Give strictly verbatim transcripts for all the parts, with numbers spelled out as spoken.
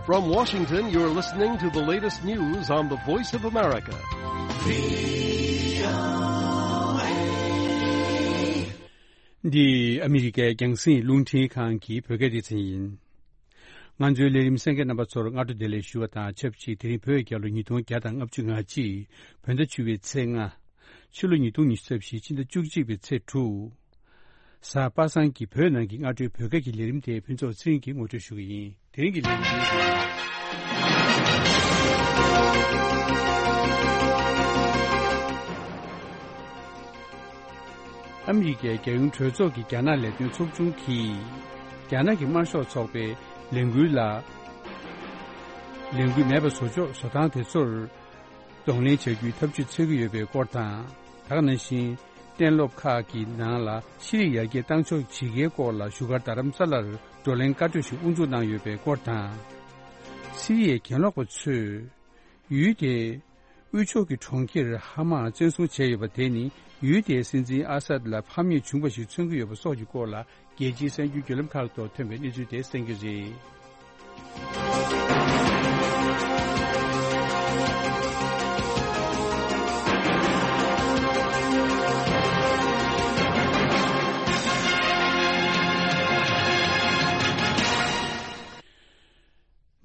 From Washington, you're listening to the latest news on the Voice of America. འདི་ཨ་མི་རི་ཀའི་རྒྱང་སྲིང་རླུང་འཕྲིན་ཁང་གི་བོད་སྐད་སྡེ་ཚན་ཡིན། ང་ཚོའི་ལས་རིམ་གསན་མཁན་རྣམ་པ་ཚོར་སྔ་དྲོ་བདེ་ལེགས་ཞུ་བ་དང་ཆབས་ཅིག་དེ་རིང་བོད་རྒྱལ་ལོ་ཉིས་སྟོང་བརྒྱ་དང་ལྔ་བཅུ་ང་གཅིག་བོད་ཟླ་བཅུ་པའི་ཚེས་ལྔ། ཕྱི་ལོ་ཉིས་སྟོང་ཉི་ཤུ་རྩ་བཞི་ཕྱི་ཟླ་བཅུ་གཅིག་པའི་ཚེས་དྲུག་གཟའ་པ་སངས་ཀྱི་བོད་ནང་གི་སྔ་དྲོའི་བོད་སྐད་ཀྱི་ལས་རིམ་དེ་ཕུན་ཚོགས་ཚེ་རིང་གིས་ངོ་སྤྲོད་ཞུ་གི་ཡིན། དེ་རིང་གི་ལས་རིམ་དེ། ཨ་མི་རི་ཀའི་རྒྱལ་ཡོངས་གྲོས་ཚོགས་ཀྱི་རྒྱ་ནག་ལས་དོན་ཚོགས་ཆུང་གིས་རྒྱ་ནག་གི་དམར་ཤོག་ཚོགས་པའི་ལས་འགུལ་ལ། ལས་འགུལ་མེད་པ་བཟོ་ཕྱོགས་བཟོ་སྟངས་དེ་ཚོར་གདོང་ལེན་བྱ་རྒྱུའི་ཐབས་ཇུས་འཚོལ་གྱི་ཡོད་པའི་སྐོར་དང་། ད་ག་ནང་བཞིན་གཏན་སློབ་ཁག་གི་ནང་ལ་ཤེས་རིག་ཡར་རྒྱས་བཏང་ཕྱོགས་ཇི་དགེའི་སྐོར་ལ་བཞུགས་སྒར་རྡ་རམ་ས་ལར་བགྲོ་གླེང་བཀའ་གྲོས་ཤིག་དབུ་འཛུགས་གནང་ཡོད་པའི་སྐོར་དང་། སི་རི་ཡའི་གྱེན་ལོག་པ་ཚོས་ཡུལ་དེའི་དབུས་ཕྱོགས་ཀྱི་གྲོང་ཁྱེར་ཧ་མ་བཙན་བཟུང་བྱས་ཡོད་པ་དེ་ནི་ཡུལ་དེའི་སྲིད་འཛིན་ཨ་སད་ལ་ཕམ་ཉེས་བྱུང་བ་ཞིག་མཚོན་གྱི་ཡོད་པ་སོགས་ཀྱི་སྐོར་ལ། རྒྱལ་སྤྱིའི་གསར་འགྱུར་བརྒྱུད་ལམ་ཁག་ཐོག་ཐོན་པའི་གནས་ཚུལ་དེ་གསན་རྒྱུ་རེད།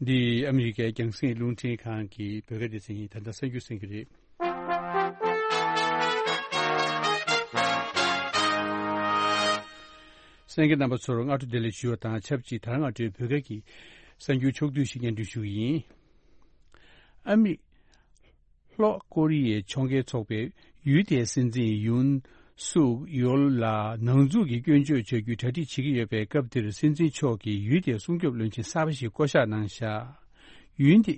འདི་ཨ་མི་རི་ཀའི་རྒྱང་སྲིང་རླུང་འཕྲིན་ཁང་གི་བོད་སྐད་སྡེ་ཚན་ཡིན། ད་ལྟ་གསར་འགྱུར་གསན་གྱི་རེད། གསན་མཁན་རྣམ་པ་ཚོར་སྔ་དྲོ་བདེ་ལེགས་ཞུ་བ་དང་ཆབས་ཅིག་ད་རང་སྔ་དྲོའི་བོད་སྐད་ཀྱི་གསར་འགྱུར་ཕྱོགས་བསྡུས་ཤིག་སྙན་སྒྲོན་ཞུ་གི་ཡིན། ཨ་མི། ལྷོ་ཀོ་རི་ཡའི་ཕྱོགས་འགལ་ཚོགས་པས་ཡུལ་དེའི་སྲིད་འཛིན་ཡུན་སུག་ཡོལ་ལ་ནང་འཛུལ་གྱི་སྐྱོན་བརྗོད་བྱ་རྒྱུའི་གྲ་སྒྲིག་བྱེད་ཀྱི་ཡོད་པའི་སྐབས་འདིར་སྲིད་འཛིན་མཆོག་གིས་ཡུལ་དེའི་སྲུང་སྐྱོབ་བློན་ཆེན་གསར་པ་ཞིག་བསྐོ་གཞག་གནང་བཞག་ཡུལ་དེ།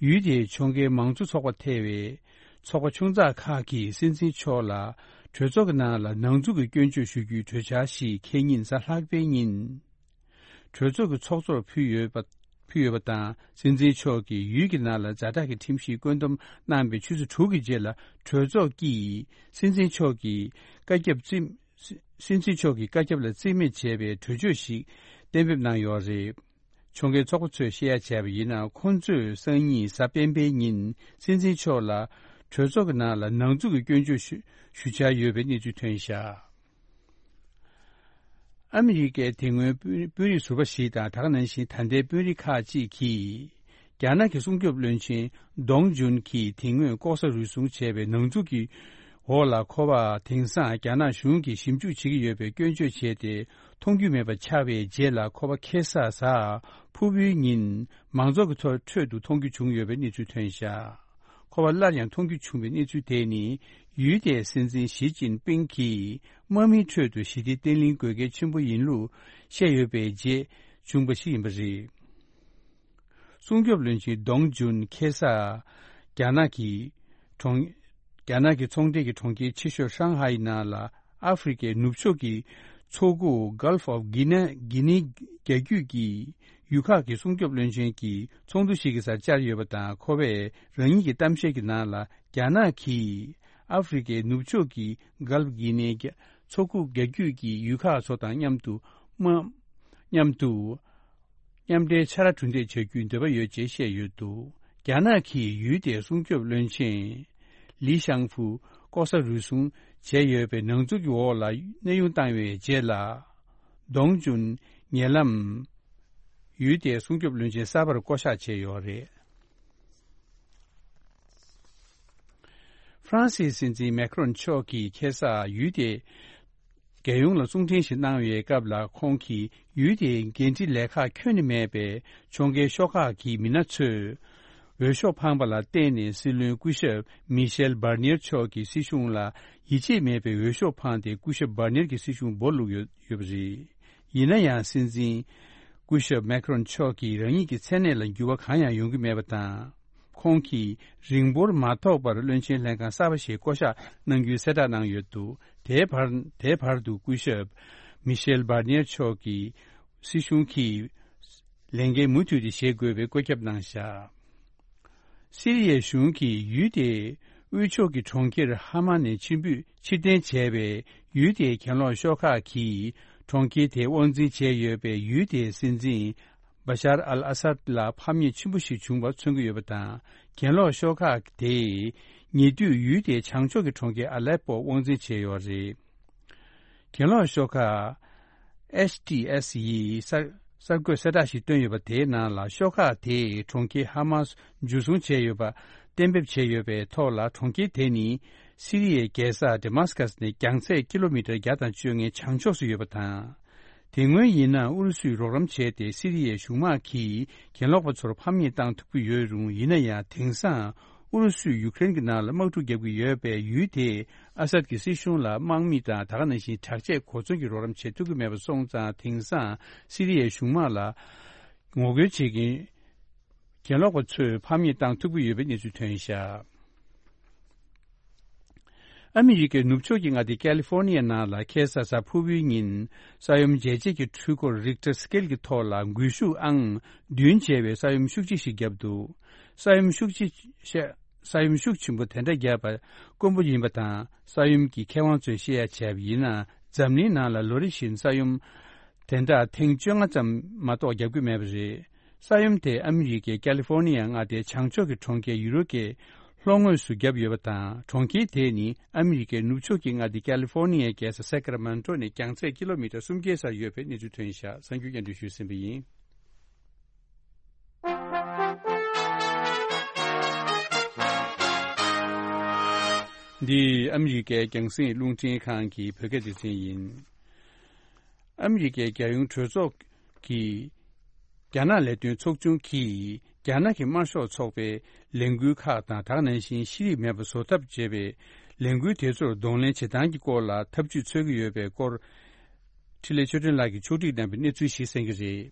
ཡུལ་དེའི་ཕྱོགས་འགལ་མང་གཙོ་ཚོགས་པ་ཐེ་བའི་ཚོགས་པ་ཆུང་ཙག་ཁག་གིས་སྲིད་འཛིན་མཆོག་ལ་གྲོས་ཚོགས་ཀྱི་ནང་ལ་ནང་འཛུལ་གྱི་སྐྱོན་བརྗོད་ཞུ་རྒྱུའི་གྲོས་འཆར་ཞིག་ཁེ་ཉིན་གཟའ་ལྷག་པའི་ཉིན། གྲོས་ཚོགས་ཀྱི་ཚོགས་གཙོར་ཕུལ་ཡོད་པ། ཕུལ་ཡོད་པ་དང་། སྲིད་འཛིན་མཆོག་གིས་ཡུལ་གྱི་ནང་ལ་ཛ་དྲག་གི་ཁྲིམས་གཞི་བཀོད་འདོམས་གནང་བའི་ཆུ་ཚོད་དྲུག་གི་རྗེས་ལ་གྲོས་ཚོགས་ཀྱིས་སྲིད་འཛིན་མཆོག་གི་བཀའ་ཁྱབ་རྩིས། སྲིད་འཛིན་མཆོག་གི་བཀའ་ཁྱབ་ལ་རྩིས་མེད་བྱས་པའི་གྲོས་ཆོད་ཞིག་གཏན་འབེབས་གནང་ཡོད་རེད། ཕྱོགས་འགལ་ཚོགས་པ་ཚོས་བཤད་ཡ་བྱས་པ་ཡིན་ན། ཁོང་ཚོས་སང་ཉིན་གཟའ་སྤེན་པའི་ཉིན་སྲིད་འཛིན་མཆོག་ལ་གྲོས་ཚོགས་ཀྱི་ནང་ལ་ནང་འཛུལ་གྱི་སྐྱོན་བརྗོད་ཞུ་ཞུ་འཆར་ཡོད་པའི་གནས་ཚུལ་ཐོན་བཞག་ཨ་མི་རི་ཀའི་དེ་སྔོན་དཔོན་དཔོན་རིགས་ཟུར་པ་ཞིག་དང་། ད་ག་ནང་བཞིན་ད་ལྟའི་དཔོན་རིགས་ཁག་ཅིག་གིས། རྒྱ་ནག་གི་སྲུང་སྐྱོབ་བློན་ཆེན་ཌོང་ཇུན་གྱིས་དེ་སྔོན་ལྐོག་ཟ་རུལ་སུངས་བྱས་པའི་ནང་འཛུལ་གྱི་འོག་ལ་ཁོ་པ་དེང་སང་རྒྱ་ནག་གཞུང་གིས་ཞིབ་འཇུག་བྱེད་ཀྱི་ཡོད་པའི་སྐྱོན་བརྗོད་བྱས་ཏེ། མཐོང་རྒྱུ་མེད་པ་ཆགས་པའི་རྗེས་ལ། ཁོ་པ་ཁེ་ས་གཟའ་ཕུར་བུའི་ཉིན་མང་ཚོགས་ཀྱི་ཐོག་ཁྲོད་དུ་མཐོང་རྒྱུ་བྱུང་ཡོད་པའི་གནས་ཚུལ་ཐོན་བཞག་ཁོ་པ་སླར་ཡང་མཐོང་རྒྱུ་བྱུང་བའི་གནས་ཚུལ་དེ་ནི། ཡུལ་དེའི་སྲིད་འཛིན་ཞི་ཅིན་ཕིང་གིས་དམག་མིའི་ཁྲོད་དུ་ཞི་བདེ་བརྟན་ལྷིང་དགོས་གལ་ཆེན་པོ་ཡིན་ལུགས་བཤད་ཡོད་པའི་རྗེས་བྱུང་བ་ཞིག་ཡིན་པ་རེད། སྲུང་སྐྱོབ་བློན་ཆེན་ཌོང་ཇུན་ཁེ་ས་རྒྱ་ནག་གི་གྲོང་། རྒྱ་ནག་གི་ཚོང་འབྲེལ་གྱི་གྲོང་ཁྱེར་ཆེ་ཤོས་ཧྲང་ཧའེ་ནང་ལ་ཨ་ཧྥེ་རི་ཁའི་ནུབ་ཕྱོགས་ཀྱི་མཚོ་ཁུག་Gulf of Guinea། གྷི་ནི་རྒྱལ་རྒྱུད་ཀྱི་ཡུལ་ཁག་གི་སྲུང་སྐྱོབ་བློན་ཆེན་གྱི་ཚོགས་འདུ་ཞིག་གི་སར་བཅར་ཡོད་པ་དང་། ཁོ་པས་རང་ཉིད་ཀྱི་གཏམ་བཤད་ཀྱི་ནང་ལ། རྒྱ་ནག་གིས་ཨ་ཧྥེ་རི་ཁའི་ནུབ་ཕྱོགས་ཀྱི་Gulf of Guinea། མཚོ་ཁུག་རྒྱལ་རྒྱུད་ཀྱི་ཡུལ་ཁག་ཚོ་དང་མཉམ་དུ་དམག་མཉམ་དུ་མཉམ་འབྲེལ་ཕྱག་ར་གྲུ་འདེགས་བྱ་རྒྱུའི་འདོད་པ་ཡོད་ཅེས་བཤད་ཡོད་འདུག་རྒྱ་ནག་གིས་ཡུལ་དེའི་སྲུང་སྐྱོབ་བློན་ཆེན་ལི་ཤང་ཧྥུ་ལྐོག་ཟ་རུལ་སུངས་བྱས་ཡོད་པའི་ནང་འཛུལ་གྱི་འོག་ལ་གནས་དབྱུང་བཏང་བའི་རྗེས་ལ། ཌོང་ཇུན་ཉེ་ལམ་ཡུལ་དེའི་སྲུང་སྐྱོབ་བློན་ཆེན་གསར་པར་བསྐོ་གཞག་བྱས་ཡོད་རེད། ཧྥ་རན་སིའི་སྲིད་འཛིན་མེ་ཁ་རོན་མཆོག་གིས་ཁ་སང་ཡུལ་དེའི་རྒྱལ་ཡོངས་ལ་གསུང་འཕྲིན་ཞིག་གནང་བའི་སྐབས་ལ། ཁོང་གིས་ཡུལ་དེའི་འགན་འཁྲི་ལས་ཁག་ཁྱོན་ནས་མེད་པའི་ཕྱོགས་འགལ་ཤོག་ཁག་གི་མི་སྣ་ཚོས་འོས་ཤོག་འཕངས་པ་ལ་བརྟེན་ནས། སྲིད་བློན་སྐུ་ཞབས་མི་ཤེལ་བྷར་ནེར་མཆོག་གི་སྲིད་གཞུང་ལ་ཡིད་ཆེས་མེད་པའི་འོས་ཤོག་འཕངས་ཏེ། སྐུ་ཞབས་བྷར་ནེར་གྱི་སྲིད་གཞུང་འབོར་བླུགས་ཡོད་ཡོད་པ་རེད། ཡིན་ན་ཡང་། སྲིད་འཛིན་སྐུ་ཞབས་མེ་ཁ་རོན་མཆོག་གིས་རང་ཉིད་ཀྱི་མཚན་གནས་ལ་འགྱུར་བ་གང་ཡང་ཡོང་གི་མེད་པ་དང་། ཁོང་གིས་རིང་པོར་མ་ཐོགས་པར་བློན་ཆེན་ལྷན་ཁང་གསར་པ་ཞིག་བསྐོ་གཞག་གནང་རྒྱུའི་གསལ་བསྒྲགས་གནང་ཡོད་འདུག་དེའི་བར། དེའི་བར་དུ་སྐུ་ཞབས་མི་ཤེལ་བྷར་ནེར་མཆོག་གི་སྲིད་གཞུང་གིས་ལས་འགན་མུ་མཐུད་དེ་བཞེས་དགོས་པའི་བཀོད་ཁྱབ་གནང་བཞག་སི་རི་ཡའི་གཞུང་གིས་ཡུལ་དེའི་དབུས་ཕྱོགས་ཀྱི་གྲོང་ཁྱེར་ཧ་མ་ནས་ཕྱིར་འབུད་ཕྱིར་འཐེན་བྱས་པའི་ཡུལ་དེའི་གྱེན་ལོག་ཤོག་ཁག་གིས་གྲོང་ཁྱེར་དེ་དབང་འཛིན་བྱས་ཡོད་པའི་ཡུལ་དེའི་སྲིད་འཛིན་ བ་ཤར་ཨལ་ཨ་སཱད་ལ་ཕམ་ཉེས་ཆེན་པོ་ཞིག་བྱུང་བ་མཚོན་གྱི་ཡོད་པ་དང་། གྱེན་ལོག་ཤོག་ཁག་དེས་ཉེ་དུས་ཡུལ་དེའི་བྱང་ཕྱོགས་ཀྱི་གྲོང་ཁྱེར་ཨ་ལེ་པོ་དབང་འཛིན་བྱས་ཡོད་པ་རེད། གྱེན་ལོག་ཤོག་ཁག་ཨེཆ་ཊི་ཨེས་ཡིས་གསར་གསར་འགོད་གསལ་བསྒྲགས་ཤིག་བཏོན་ཡོད་པ་དེའི་ནང་ལ། ཤོག་ཁག་དེས་གྲོང་ཁྱེར་ཧ་མཱས་འཇུ་བཟུང་བྱས་ཡོད་པ་གཏན་འབེབས་བྱས་ཡོད་པའི་ཐོག་ལ། གྲོང་ཁྱེར་དེ་ནི་སི་རི་ཡའི་རྒྱལ་ས་ཌེ་མཱ་སི་ཀཱས་ནས་རྒྱང་ཚད་ཀི་ལོ་མི་ཊར་བརྒྱ་དང་བཅོ་ལྔའི་བྱང་ཕྱོགས་སུ་ཡོད་པ་དང་། དེ་སྔོན་ཡིན་ན་ཨུ་རུ་སུས་རོགས་རམ་བྱས་ཏེ་སི་རི་ཡའི་གཞུང་དམག་གིས་གྱེན་ལོག་པ་ཚོར་ཕམ་ཉེས་བཏང་ཐུབ་ཀྱི་ཡོད་རུང་། ཡིན་ན་ཡང་དེང་སང་ཨུ་རུ་སུས་ཡུ་ཀེ་རེན་གྱི་ནང་ལ་དམག་འཁྲུག་བརྒྱབ་ཀྱི་ཡོད་པས། ཡུལ་དེས་ཨ་སཱད་ཀྱི་སྲིད་གཞུང་ལ་དམག་མི་དང་། ད་ག་ནང་བཞིན་དྲག་ཆས་གོ་མཚོན་གྱི་རོགས་རམ་བྱེད་ཐུབ་ཀྱི་མེད་པ་སོང་ཙང་། དེང་སང་སི་རི་ཡའི་གཞུང་དམག་ལ་ངོ་རྒོལ་བྱེད་མཁན་གྱེན་ལོག་པ་ཚོས་ཕམ་ཉེས་བཏང་ཐུབ་ཀྱི་ཡོད་པའི་གནས་ཚུལ་ཐོན་ཤག་ཨ་མི་རི་ཀའི་ནུབ་ཕྱོགས་ཀྱི་མངའ་སྡེ་ཀ་ལི་ཧྥོར་ནི་ཡའི་ནང་ལ་ཁ་སང་གཟའ་ཕུར་བུའི་ཉིན་ས་ཡོམ་འཇལ་བྱེད་ཀྱི་འཕྲུལ་འཁོར་རིག་ཊར་སི་ཀེལ་གྱི་ཐོག་ལ་འགུལ་ཤུགས་ཨང་བདུན་བྱས་པའི་ས་ཡོམ་ཤུགས་ཆེ་ཞིག་བརྒྱབ་འདུག་ས་ཡོམ་ཤུགས་ཆེ་ཤ་ས་ཡོམ་ཤུགས་ཆེན་པོ་དེ་འདྲ་བརྒྱབ་པ་དཀོན་པོ་ཡིན་པ་དང་། ས་ཡོམ་གྱི་མཁས་དབང་ཚོས་བཤད་ཡ་བྱས་པ་ཡིན་ན། འཛམ་གླིང་ནང་ལ་ལོ་རེ་བཞིན་ས་ཡོམ་དེ་འདྲ་ཐེངས་བཅོ་ལྔ་ཙམ་མ་གཏོགས་བརྒྱབ་ཀྱི་མེད་པ་རེད། ས་ཡོམ་དེས་ཨ་མི་རི་ཀའི་ཀ་ལི་ཧྥོར་ནི་ཡ་མངའ་སྡེའི་བྱང་ཕྱོགས་ཀྱི་གྲོང་ཁྱེར་ཡུ་རོ་ཀའི་ལྷོ་ངོས་སུ་བརྒྱབ་ཡོད་པ་དང་། གྲོང་ཁྱེར་དེ་ནི་ཨ་མི་རི་ཀའི་ནུབ་ཕྱོགས་ཀྱི་མངའ་སྡེ་ཀ་ལི་ཧྥོར་ནི་ཡའི་རྒྱལ་ས་ས་ཀ་ར་མན་ཊོ་ནས་རྒྱང་ཚད་ཀི་ལོ་མི་ཊར་སུམ་བརྒྱའི་སར་ཡོད་པའི་གནས་ཚུལ་ཐོན་ཤག་གསར་འགྱུར་སྙན་སྒྲོན་ཞུས་ཟིན་པ་ཡིན། འདི་ཨ་མི་རི་ཀའི་རྒྱང་སྲིང་རླུང་འཕྲིན་ཁང་གི་བོད་སྐད་སྡེ་ཚན་ཡིན། ཨ་མི་རི་ཀའི་རྒྱལ་ཡོངས་གྲོས་ཚོགས་ཀྱི་རྒྱ་ནག་ལས་དོན་ཚོགས་ཆུང་གིས་རྒྱ་ནག་གི་དམར་ཤོག་ཚོགས་པའི་ལས་འགུལ་ཁག་དང་། ད་ག་ནང་བཞིན་ཤེས་རིག་མེད་པ་བཟོ་ཐབས་བྱེད་པའི་ལས་འགུལ་དེ་ཚོར་གདོང་ལེན་བྱེད་སྟངས་ཀྱི་སྐོར་ལ་ཐབས་ཇུས་འཚོལ་གྱི་ཡོད་པའི་སྐོར། འཕྲིན་ལས་ཆོས་སྒྲོན་ལགས་ཀྱིས་ཕྱོགས་སྒྲིག་གནང་བའི་གནས་ཚུལ་ཞིག་གསན་གྱི་རེད།